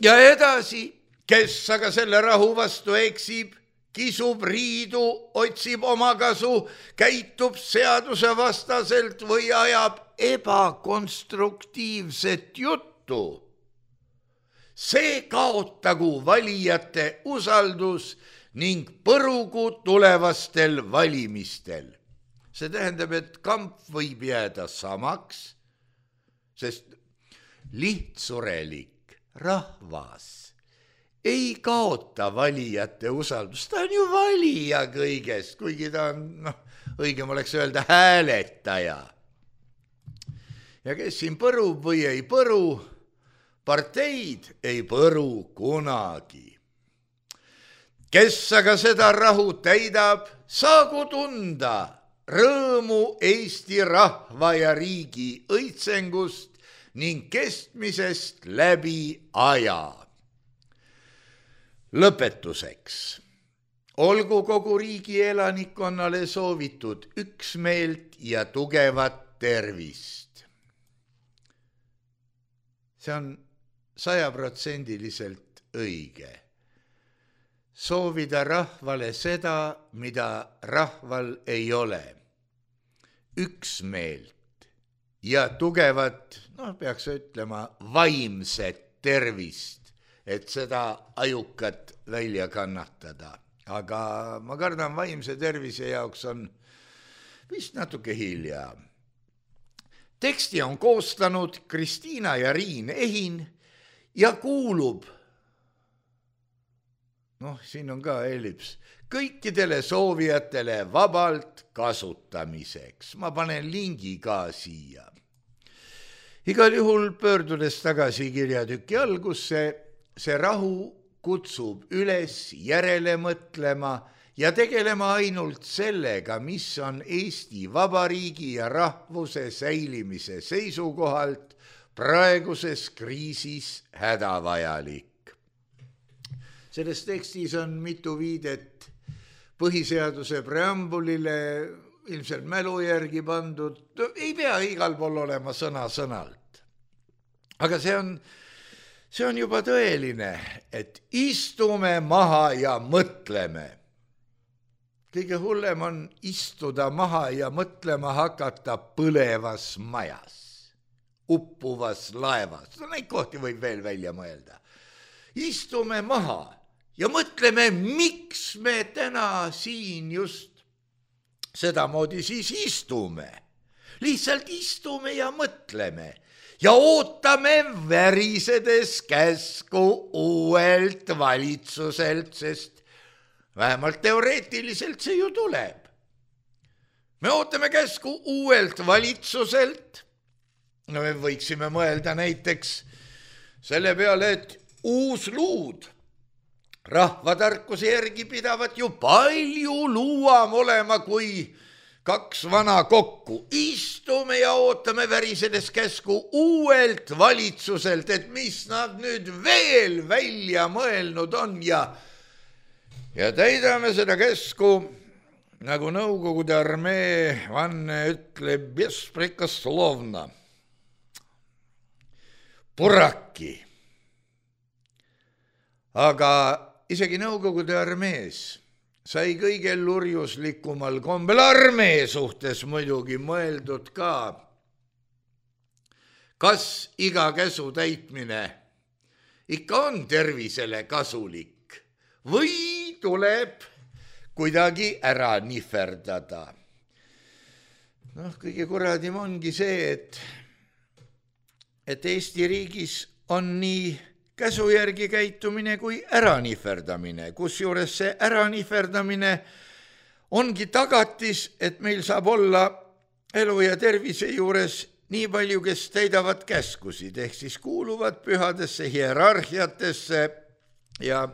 edasi, kes aga selle rahu vastu eksib, kisub riidu, otsib omakasu, käitub seaduse vastaselt või ajab ebakonstruktiivset juttu. See kaotagu valijate usaldus ning põrugu tulevastel valimistel. See tähendab, et kamp võib jääda samaks, sest lihtsurelik rahvas ei kaota valijate usaldust, ta on ju valija kõigest, kuigi ta on, õigem oleks öelda hääletaja. Ja kes siin põrub või ei põru, parteid ei põru kunagi. Kes aga seda rahu täidab, saagu tunda rõõmu Eesti rahva ja riigi õitsengust ning kestmisest läbi aja. Lõpetuseks, olgu kogu riigi elanikkonnale soovitud üksmeelt ja tugevat tervist. See on 100% õige. Soovida rahvale seda, mida rahval ei ole. Üksmeelt ja tugevat, peaks ütlema, vaimset tervist, et seda ajukat välja kannatada. aga ma kardan, vaimse tervise jaoks on vist natuke hilja. Teksti on koostanud Kristiina ja Riin Ehin ja kuulub, siin on ka elips, kõikidele soovijatele vabalt kasutamiseks. Ma panen lingi ka siia. Igal juhul pöördudes tagasi kirjatüki algusse, see rahu kutsub üles järele mõtlema ja tegelema ainult sellega, mis on Eesti Vabariigi ja rahvuse säilimise seisukohalt praeguses kriisis hädavajalik. Selles tekstis on mitu viidet põhiseaduse preambulile, ilmselt mälu järgi pandud, ei pea igal pool olema sõna-sõnalt. Aga see on juba tõeline, et istume maha ja mõtleme. Kõige hullem on istuda maha ja mõtlema hakata põlevas majas, uppuvas laevas. Neid kohti võib veel välja mõelda. Istume maha ja mõtleme, miks me täna siin just sedamoodi siis istume. Lihtsalt istume ja mõtleme ja ootame värisedes käsku uuelt valitsuselt, sest vähemalt teoreetiliselt see ju tuleb. Me ootame käsku uuelt valitsuselt. Me võiksime mõelda näiteks selle peale, et uus luud rahvatarkuse järgi pidavat ju palju luuam olema kui 2 vana kokku. Istume ja ootame värisedes käsku uuelt valitsuselt, et mis nad nüüd veel välja mõelnud on ja täidame seda käsku, nagu Nõukogude armee vanne ütleb, besprikoslovna. Puraki. Aga isegi Nõukogude armees sai kõige lurjuslikumal kombel armee suhtes muidugi mõeldud ka, kas iga käsu täitmine ikka on tervisele kasulik või tuleb kuidagi ära nihverdada. Kõige kuradim ongi see, et Eesti riigis on nii käsu järgi käitumine kui äranihverdamine, kusjuures see äranihverdamine ongi tagatis, et meil saab olla elu ja tervise juures nii palju, kes täidavad käskusid, ehk siis kuuluvad pühadesse hierarhiatesse ja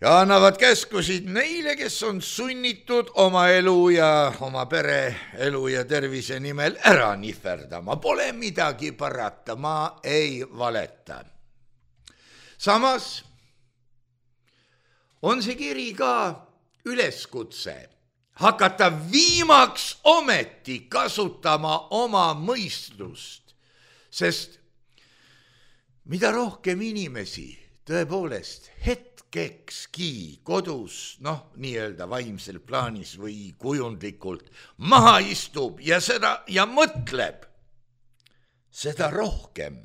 annavad käskusid neile, kes on sunnitud oma elu ja oma pere elu ja tervise nimel ära nihverdama. Pole midagi parata, ma ei valeta. Samas on see kiri ka üleskutse hakata viimaks ometi kasutama oma mõistust, sest mida rohkem inimesi tõepoolest hetkekski kodus, nii-öelda vaimsel plaanis või kujundlikult maha istub ja mõtleb, seda rohkem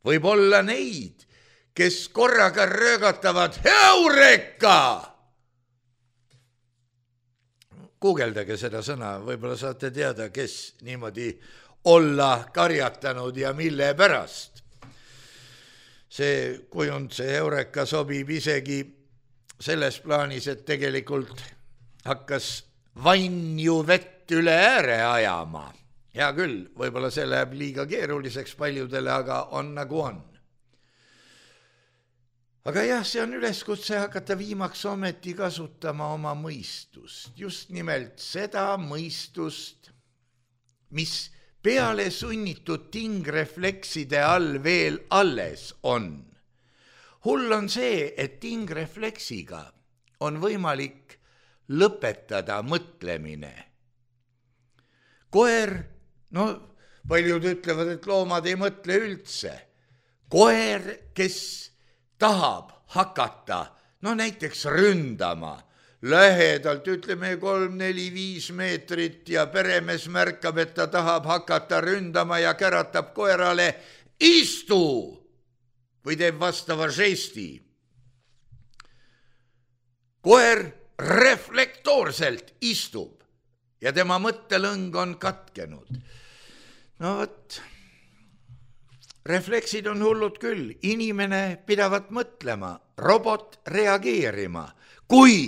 võib olla neid, kes korraga röögatavad Heureka! Guugeldage seda sõna, võib-olla saate teada, kes niimoodi olla karjatanud ja mille pärast. See kujund, see Heureka sobib isegi selles plaanis, et tegelikult hakkas vann ju vett üle ääre ajama. Hea küll, võib-olla see läheb liiga keeruliseks paljudele, aga on nagu on. Aga jah, see on üleskutse hakata viimaks ometi kasutama oma mõistust. Just nimelt seda mõistust, mis peale sunnitud tingreflekside all veel alles on. Hull on see, et tingrefleksiga on võimalik lõpetada mõtlemine. Koer, paljud ütlevad, et loomad ei mõtle üldse. Koer, kes tahab hakata, näiteks ründama, lähedalt, ütleme 3, 4, 5 meetrit ja peremees märkab, et ta tahab hakata ründama ja käratab koerale istu või teeb vastava žesti. koer reflektoorselt istub ja tema mõttelõng on katkenud. No vot, refleksid on hullud küll, inimene pidavat mõtlema, robot reageerima. Kui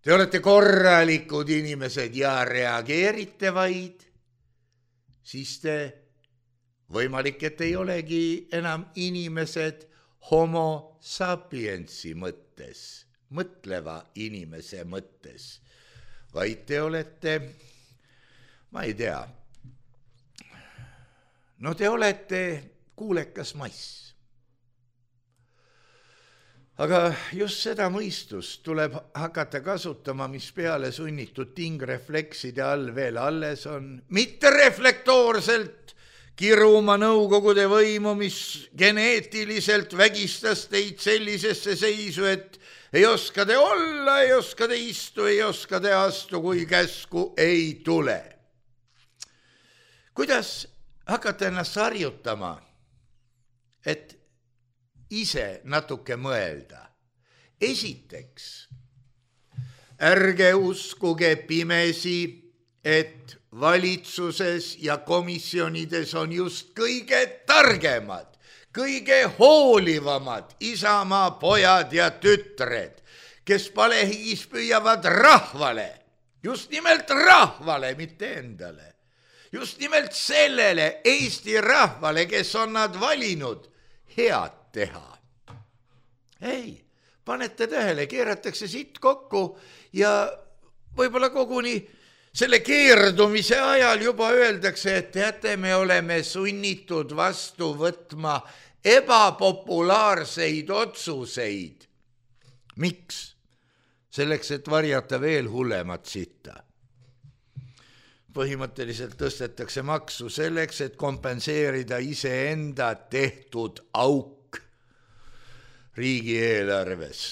te olete korralikud inimesed ja reageerite vaid, siis te võimalik, et ei olegi enam inimesed homo sapiensi mõttes, mõtleva inimese mõttes, vaid te olete, ma ei tea, no te olete kuulekas mass. Aga just seda mõistust tuleb hakata kasutama, mis peale sunnitud tingreflekside all veel alles on, mitte reflektoorselt kiruma nõukogude võimu, mis geneetiliselt vägistas teid sellisesse seisu, et ei oska te olla, ei oska te istu, ei oska te astu, kui käsku ei tule. Kuidas hakata ennast harjutama, et ise natuke mõelda? Esiteks, ärge uskuge pimesi, et valitsuses ja komisjonides on just kõige targemad, kõige hoolivamad Isamaa pojad ja tütred, kes palehigis püüavad rahvale, just nimelt rahvale, mitte endale, just nimelt sellele Eesti rahvale, kes on nad valinud, head teha. Ei, panete tähele, keeratakse siit kokku ja võib-olla koguni selle keerdumise ajal juba öeldakse, et teate, me oleme sunnitud vastu võtma ebapopulaarseid otsuseid. Miks? Selleks, et varjata veel hullemat sitta. Põhimõtteliselt tõstetakse maksu selleks, et kompenseerida iseenda tehtud auk riigieelarves.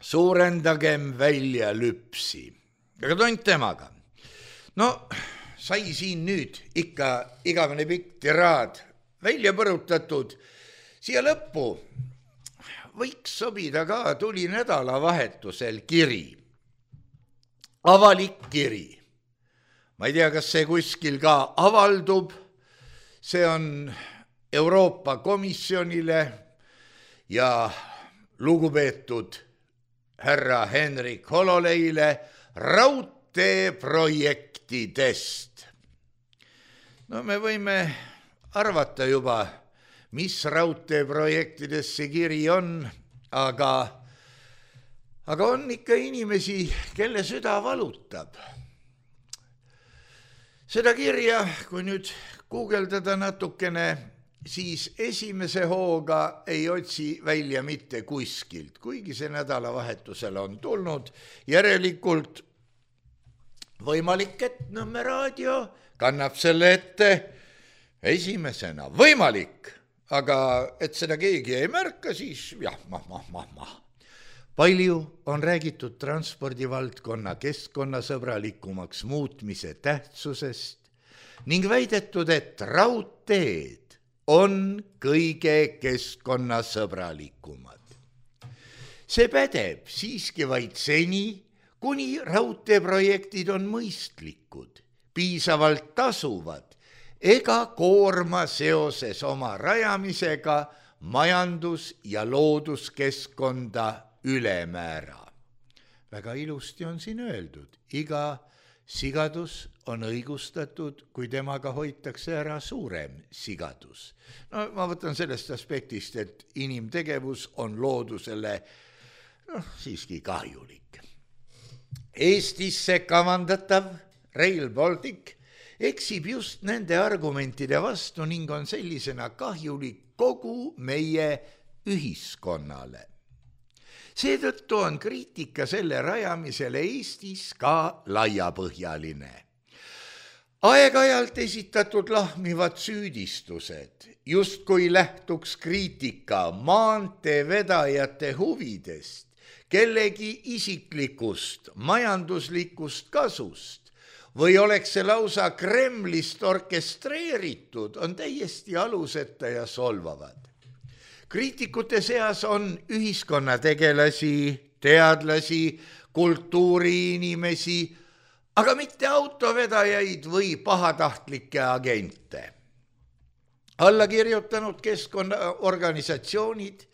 Suurendagem välja lüpsi. Aga tont temaga. No, sai siin nüüd ikka igavene pikk tiraad välja põrutatud. Siia lõppu võiks sobida ka, tuli nädalavahetusel kiri. Avalik kiri. Ma ei tea, kas see kuskil ka avaldub. See on Euroopa Komisjonile ja lugupeetud härra Henrik Hololeile raudteeprojektidest. No me võime arvata juba, mis raudteeprojektidest see kiri on, aga on ikka inimesi, kelle süda valutab. Seda kirja, kui nüüd guugeldada natukene, siis esimese hooga ei otsi välja mitte kuskilt, kuigi see nädalavahetusel on tulnud. Järelikult võimalik, et Nõmme raadio kannab selle ette esimesena. Võimalik, aga et seda keegi ei märka, siis jah, Palju on räägitud transpordivaldkonna keskkonnasõbralikumaks muutmise tähtsusest ning väidetud, et raudteed on kõige keskkonnasõbralikumad. See pädeb siiski vaid seni, kuni raudteeprojektid on mõistlikud, piisavalt tasuvad ega koorma seoses oma rajamisega majandus- ja looduskeskkonda ülemäära. Väga ilusti on siin öeldud, iga sigadus on õigustatud, kui temaga hoitakse ära suurem sigadus. No ma võtan sellest aspektist, et inimtegevus on loodusele siiski kahjulik. Eestisse kavandatav Rail Baltic eksib just nende argumentide vastu ning on sellisena kahjulik kogu meie ühiskonnale. Seetõttu on kriitika selle rajamisele Eestis ka laiapõhjaline. Aeg-ajalt esitatud lahmivad süüdistused, justkui lähtuks kriitika maanteevedajate huvidest, kellegi isiklikust, majanduslikust kasust või oleks see lausa Kremlist orkestreeritud, on täiesti aluseta ja solvavad. kriitikute seas on ühiskonnategelasi, teadlasi, kultuuriinimesi, aga mitte autovedajaid või pahatahtlikke agente. Alla kirjutanud keskkonnaorganisatsioonid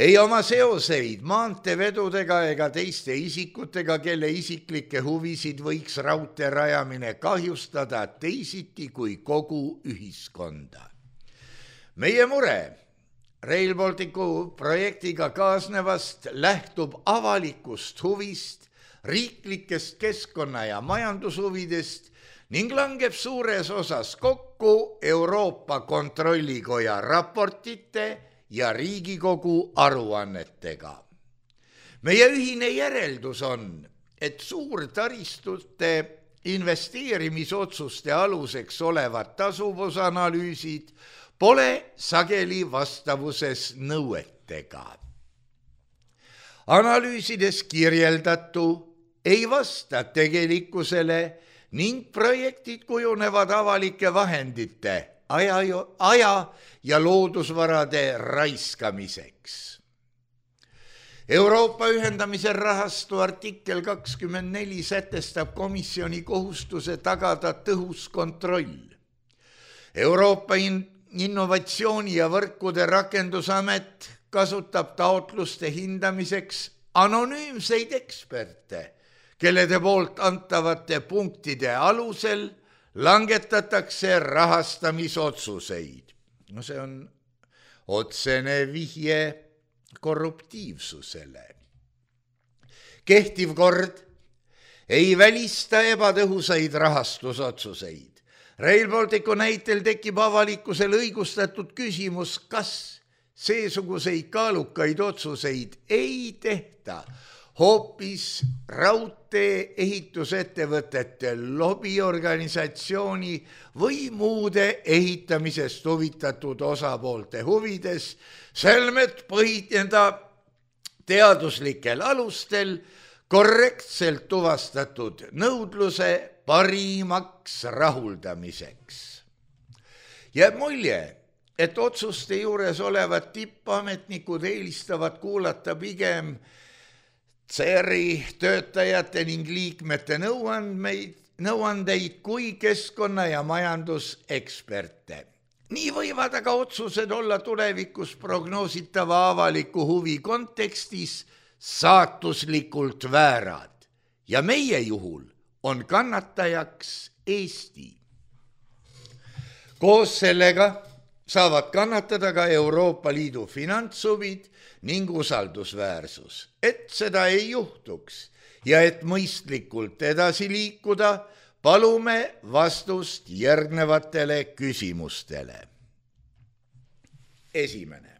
ei oma seoseid maanteevedudega ega teiste isikutega, kelle isiklikke huvisid võiks raudtee rajamine kahjustada teisiti kui kogu ühiskonda. Meie mure Rail Balticu projektiga kaasnevast lähtub avalikust huvist, riiklikest keskkonna- ja majandushuvidest ning langeb suures osas kokku Euroopa Kontrollikoja raportite ja Riigikogu aruannetega. Meie ühine järeldus on, et suurtaristute investeerimisotsuste aluseks olevad tasuvusanalüüsid pole sageli vastavuses nõuetega. Analüüsides kirjeldatu ei vasta tegelikkusele ning projektid kujunevad avalike vahendite, aja ja loodusvarade raiskamiseks. Euroopa ühendamise rahastu artikkel 24 sätestab komisjoni kohustuse tagada tõhus kontroll. Euroopa Innovatsiooni- ja võrkude rakendusamet kasutab taotluste hindamiseks anonüümseid eksperte, kellede poolt antavate punktide alusel langetatakse rahastamisotsuseid. No see on otsene vihje korruptiivsusele. Kehtiv kord ei välista ebatõhusaid rahastusotsuseid. Rail Balticu näitel tekib avalikkusel õigustatud küsimus, kas seesuguseid kaalukaid otsuseid ei tehta hoopis raudtee ehitusettevõtete lobiorganisatsiooni või muude ehitamisest huvitatud osapoolte huvides, selmet põhineda teaduslikel alustel korrektselt tuvastatud nõudluse parimaks rahuldamiseks. Jääb mulje, et otsuste juures olevad tippametnikud eelistavad kuulata pigem CER-i töötajate ning liikmete nõuandeid kui keskkonna- ja majanduseksperte. Nii võivad aga otsused olla tulevikus prognoositava avaliku huvi kontekstis saatuslikult väärad ja meie juhul on kannatajaks Eesti. Koos sellega saavad kannatada ka Euroopa Liidu finantshuvid ning usaldusväärsus. Et seda ei juhtuks ja et mõistlikult edasi liikuda, palume vastust järgnevatele küsimustele. Esimene.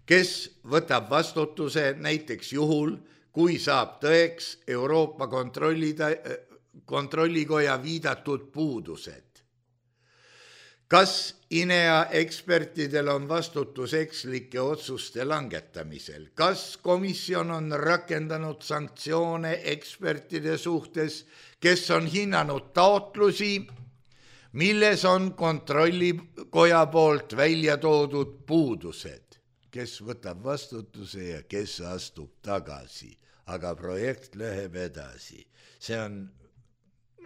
Kes võtab vastutuse näiteks juhul, kui saab tõeks Euroopa Kontrollikoja viidatud puudused? Kas INEA ekspertidel on vastutus ekslike otsuste langetamisel? Kas komisjon on rakendanud sanktsioone ekspertide suhtes, kes on hinnanud taotlusi, milles on kontrollikoja poolt välja toodud puudused? Kes võtab vastutuse ja kes astub tagasi, aga projekt läheb edasi. See on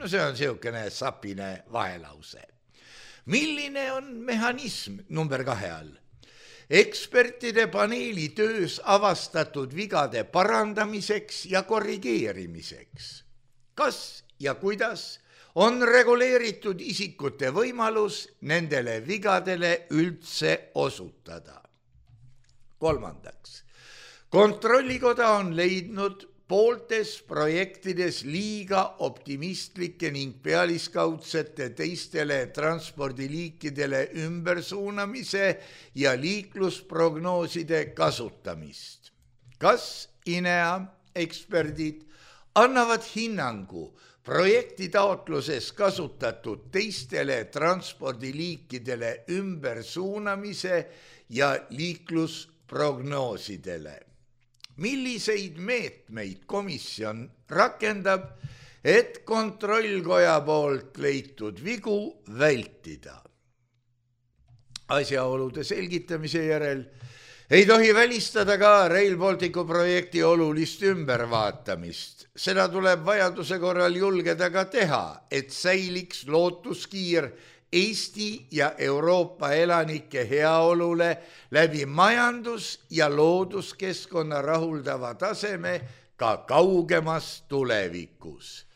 niisugune sapine vahelause. Milline on mehhanism number 2 all? Ekspertide paneeli töös avastatud vigade parandamiseks ja korrigeerimiseks. Kas ja kuidas on reguleeritud isikute võimalus nendele vigadele üldse osutada? 3. Kontrollikoda on leidnud pooltes projektides liiga optimistlikke ning pealiskaudsete teistele transpordiliikidele ümbersuunamise ja liiklusprognooside kasutamist. Kas INEA eksperdid annavad hinnangu projekti taotluses kasutatud teistele transpordiliikidele ümbersuunamise ja liiklusprognoosidele? Milliseid meetmeid komisjon rakendab, et kontrollkoja poolt leitud vigu vältida? Asjaolude selgitamise järel ei tohi välistada ka Rail Balticu projekti olulist ümbervaatamist. Seda tuleb vajaduse korral julgeda ka teha, et säiliks lootuskiir Eesti ja Euroopa elanike heaolule läbi majandus- ja looduskeskkonna rahuldava taseme ka kaugemas tulevikus.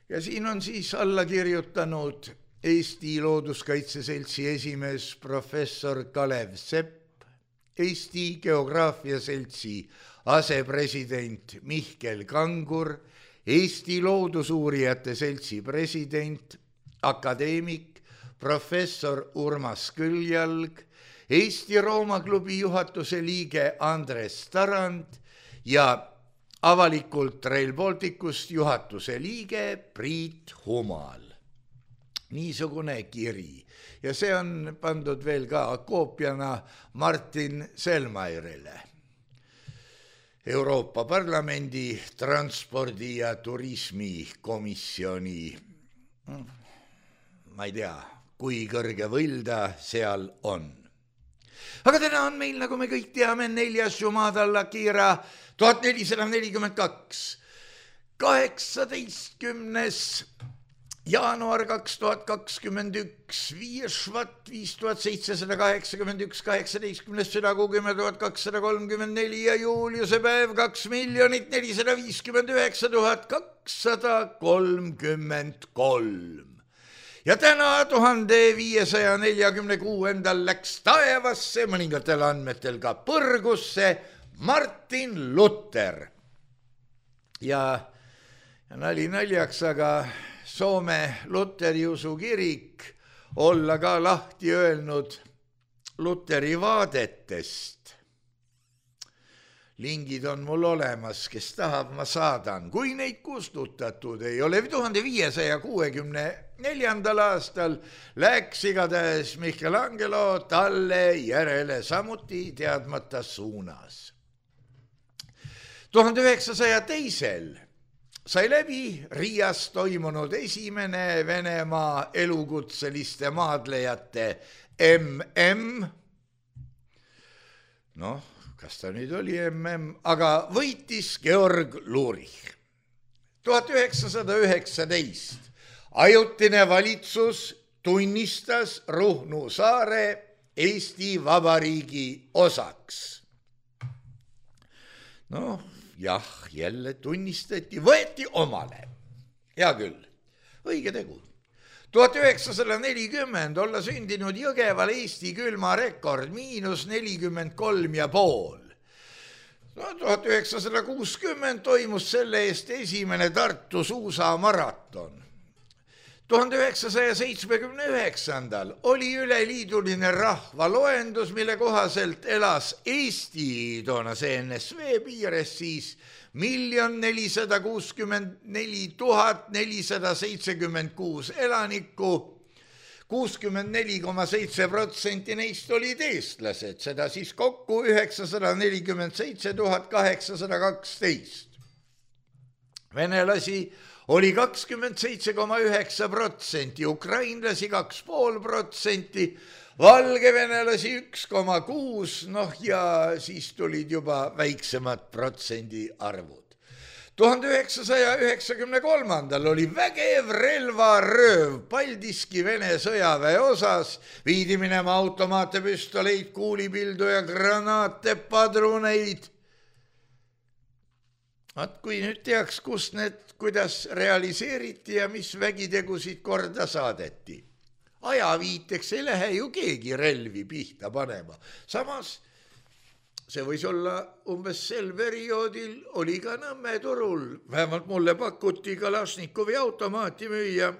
Ja siin on siis alla kirjutanud Eesti Looduskaitse Seltsi esimees professor Kalev Sepp, Eesti Geograafia Seltsi asepresident Mihkel Kangur, Eesti Loodusuurijate Seltsi president, akadeemik professor Urmas Küljalg, Eesti Rooma klubi juhatuse liige Andres Tarand ja avalikult Rail Balticust juhatuse liige Priit Humal. Niisugune kiri ja see on pandud veel ka koopiana Martin Selmairile, Euroopa Parlamendi transpordi- ja turismikomisjoni, ma ei tea, kui kõrge võll ta seal on. Aga täna on meil, nagu me kõik teame, 4. Jumada Lakira 1442, 18. jaanuar 2021, 5. Švat 5781, 18. südakuu 10 234 ja Juliuse päev 2 459 233. Ja täna 1546. läks taevasse, mõningatel andmetel ka põrgusse, Martin Luther. Ja nali naljaks, aga Soome Luteri usukirik olla ka lahti öelnud Luteri vaadetest. Lingid on mul olemas, kes tahab, ma saadan. Kui neid kustutatud ei ole, 1564. aastal läks igatahes Michelangelo talle järele samuti teadmata suunas. 1902. sai läbi Riias toimunud esimene Venemaa elukutseliste maadlejate MM. Noh, kas ta nüüd oli MM, aga võitis Georg Lurich. 1919. ajutine valitsus tunnistas Ruhnu saare Eesti Vabariigi osaks. Noh, jah, jälle tunnistati, võeti omale. Hea küll, õige tegu. 1940 olla sündinud Jõgeval Eesti külmarekord -43,5. 1960 toimus selle eest esimene Tartu suusamaraton. 1979. oli üleliiduline rahvaloendus, mille kohaselt elas Eesti toonase NSV piires siis 1,464 476 elanikku, 64,7% neist olid eestlased, seda siis kokku 947 812. Venelasi oli 27,9%, ukrainlasi 2,5%, valgevenelasi 1,6%, noh ja siis tulid juba väiksemad protsendiarvud. 1993. oli vägev relvarööv Paldiski Vene sõjaväe osas, viidi minema automaate, püstoleid, kuulipildu ja granaate, padruneid. Kui nüüd teaks, kus need, kuidas realiseeriti ja mis vägitegusid korda saadeti. Ajaviiteks ei lähe ju keegi relvi pihta panema. Samas see võis olla umbes sel perioodil, oli ka Nõmme turul. Vähemalt mulle pakuti Kalašnikovi automaati müüa.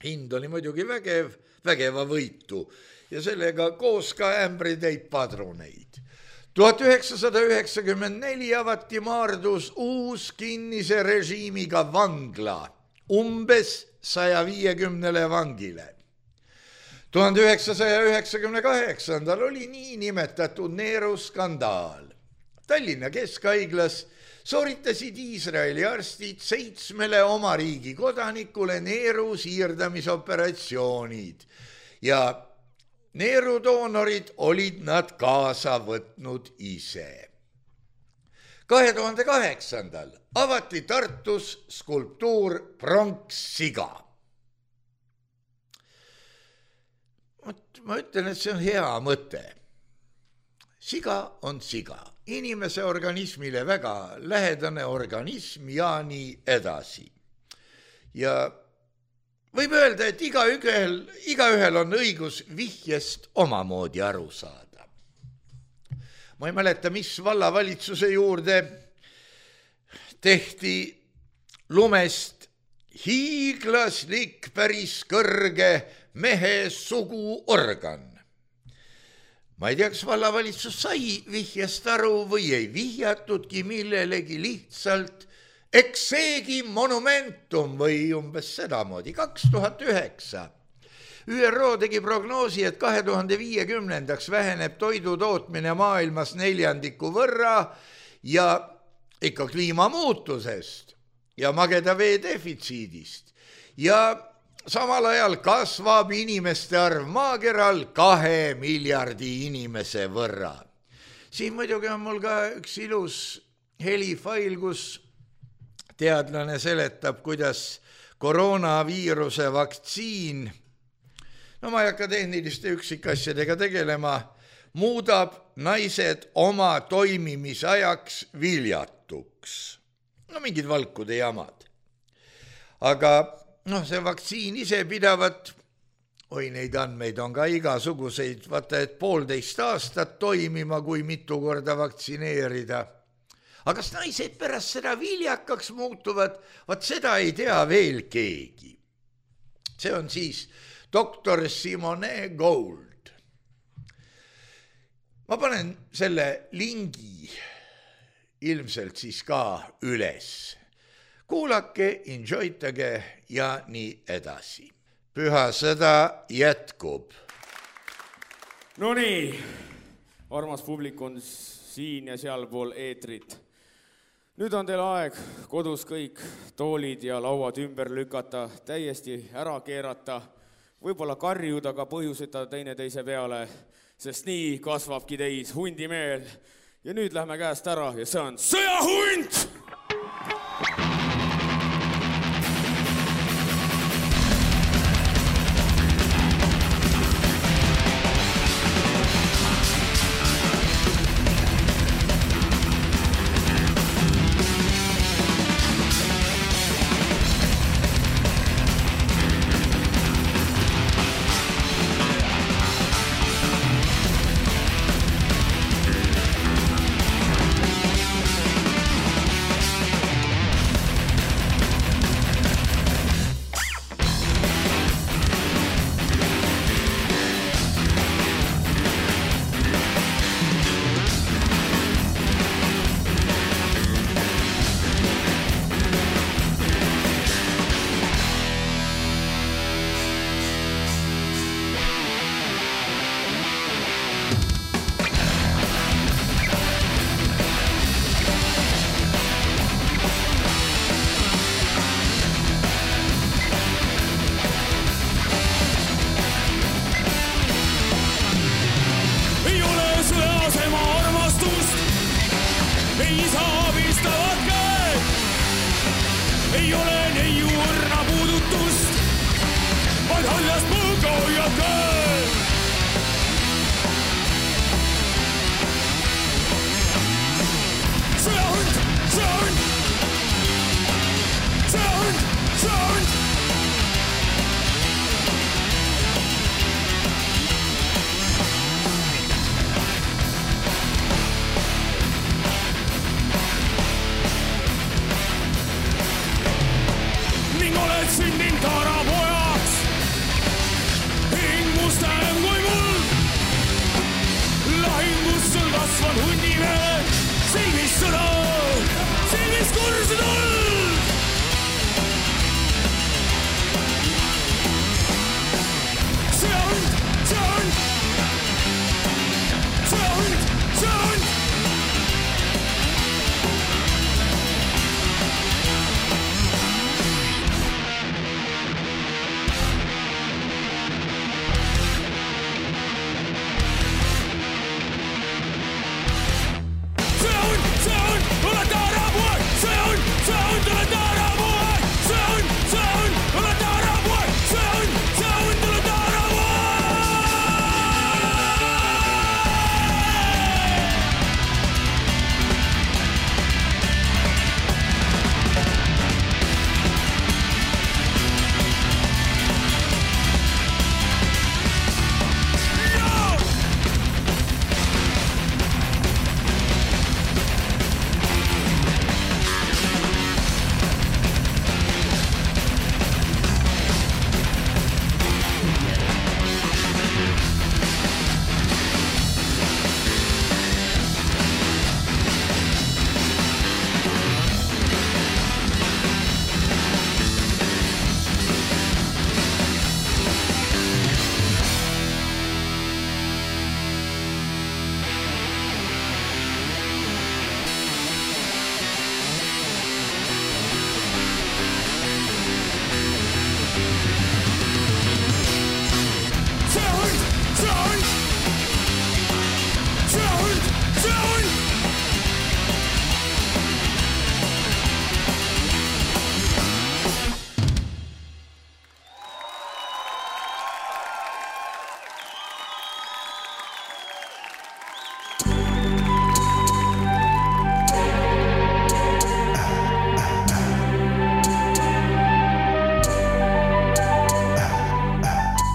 Hind oli muidugi vägeva võitu ja sellega koos ka ämbritäit padruneid. 1994 avati Maardus uus kinnise režiimiga vangla umbes 150 vangile. 1998. oli niinimetatud Neeru skandaal. Tallinna Keskhaiglas sooritasid Iisraeli arstid 7 oma riigi kodanikule Neeru siirdamisoperatsioonid ja neerudoonorid olid nad kaasa võtnud ise. 2008. avati Tartus skulptuur Pronkssiga. Ma ütlen, et see on hea mõte. Siga on siga, inimese organismile väga lähedane organism ja nii edasi. Ja võib öelda, et igaühel on õigus vihjest omamoodi aru saada. Ma ei mäleta, mis vallavalitsuse juurde tehti lumest hiiglaslik päris kõrge mehe suguorgan. Ma ei tea, kas vallavalitsus sai vihjest aru või ei vihjatudki millelegi, lihtsalt eks seegi monumentum või umbes sedamoodi. 2009 ÜRO tegi prognoosi, et 2050 väheneb toidu tootmine maailmas 4% võrra ja ikka kliimamuutusest ja mageda vee defitsiidist. Ja samal ajal kasvab inimeste arv maakeral 2 miljardi inimese võrra. Siin muidugi on mul ka üks ilus helifail, kus teadlane seletab, kuidas koroonaviiruse vaktsiin, no ma ei hakka tehniliste üksikasjadega tegelema, muudab naised oma toimimisajaks viljatuks. No mingid valkude jamad. Aga see vaktsiin ise pidavat, neid andmeid on ka igasuguseid, vaata, et 1,5 aastat toimima, kui mitu korda vaktsineerida. Aga kas naised pärast seda viljakaks muutuvad, seda ei tea veel keegi. See on siis doktor Simone Gold. Ma panen selle lingi ilmselt siis ka üles. Kuulake, enjoytage ja nii edasi. Püha sõda jätkub. No nii, armas publik on siin ja sealpool eetrit. Nüüd on teil aeg kodus kõik toolid ja lauad ümber lükata, täiesti ära keerata, võib-olla karjuda ka põhjuseta teineteise peale, sest nii kasvabki teis hundimeel. Ja nüüd lähme käest ära ja see on sõjahund!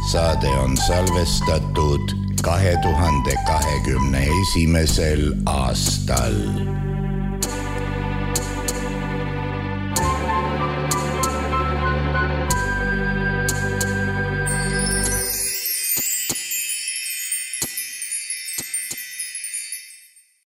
saade on salvestatud 2021. aastal.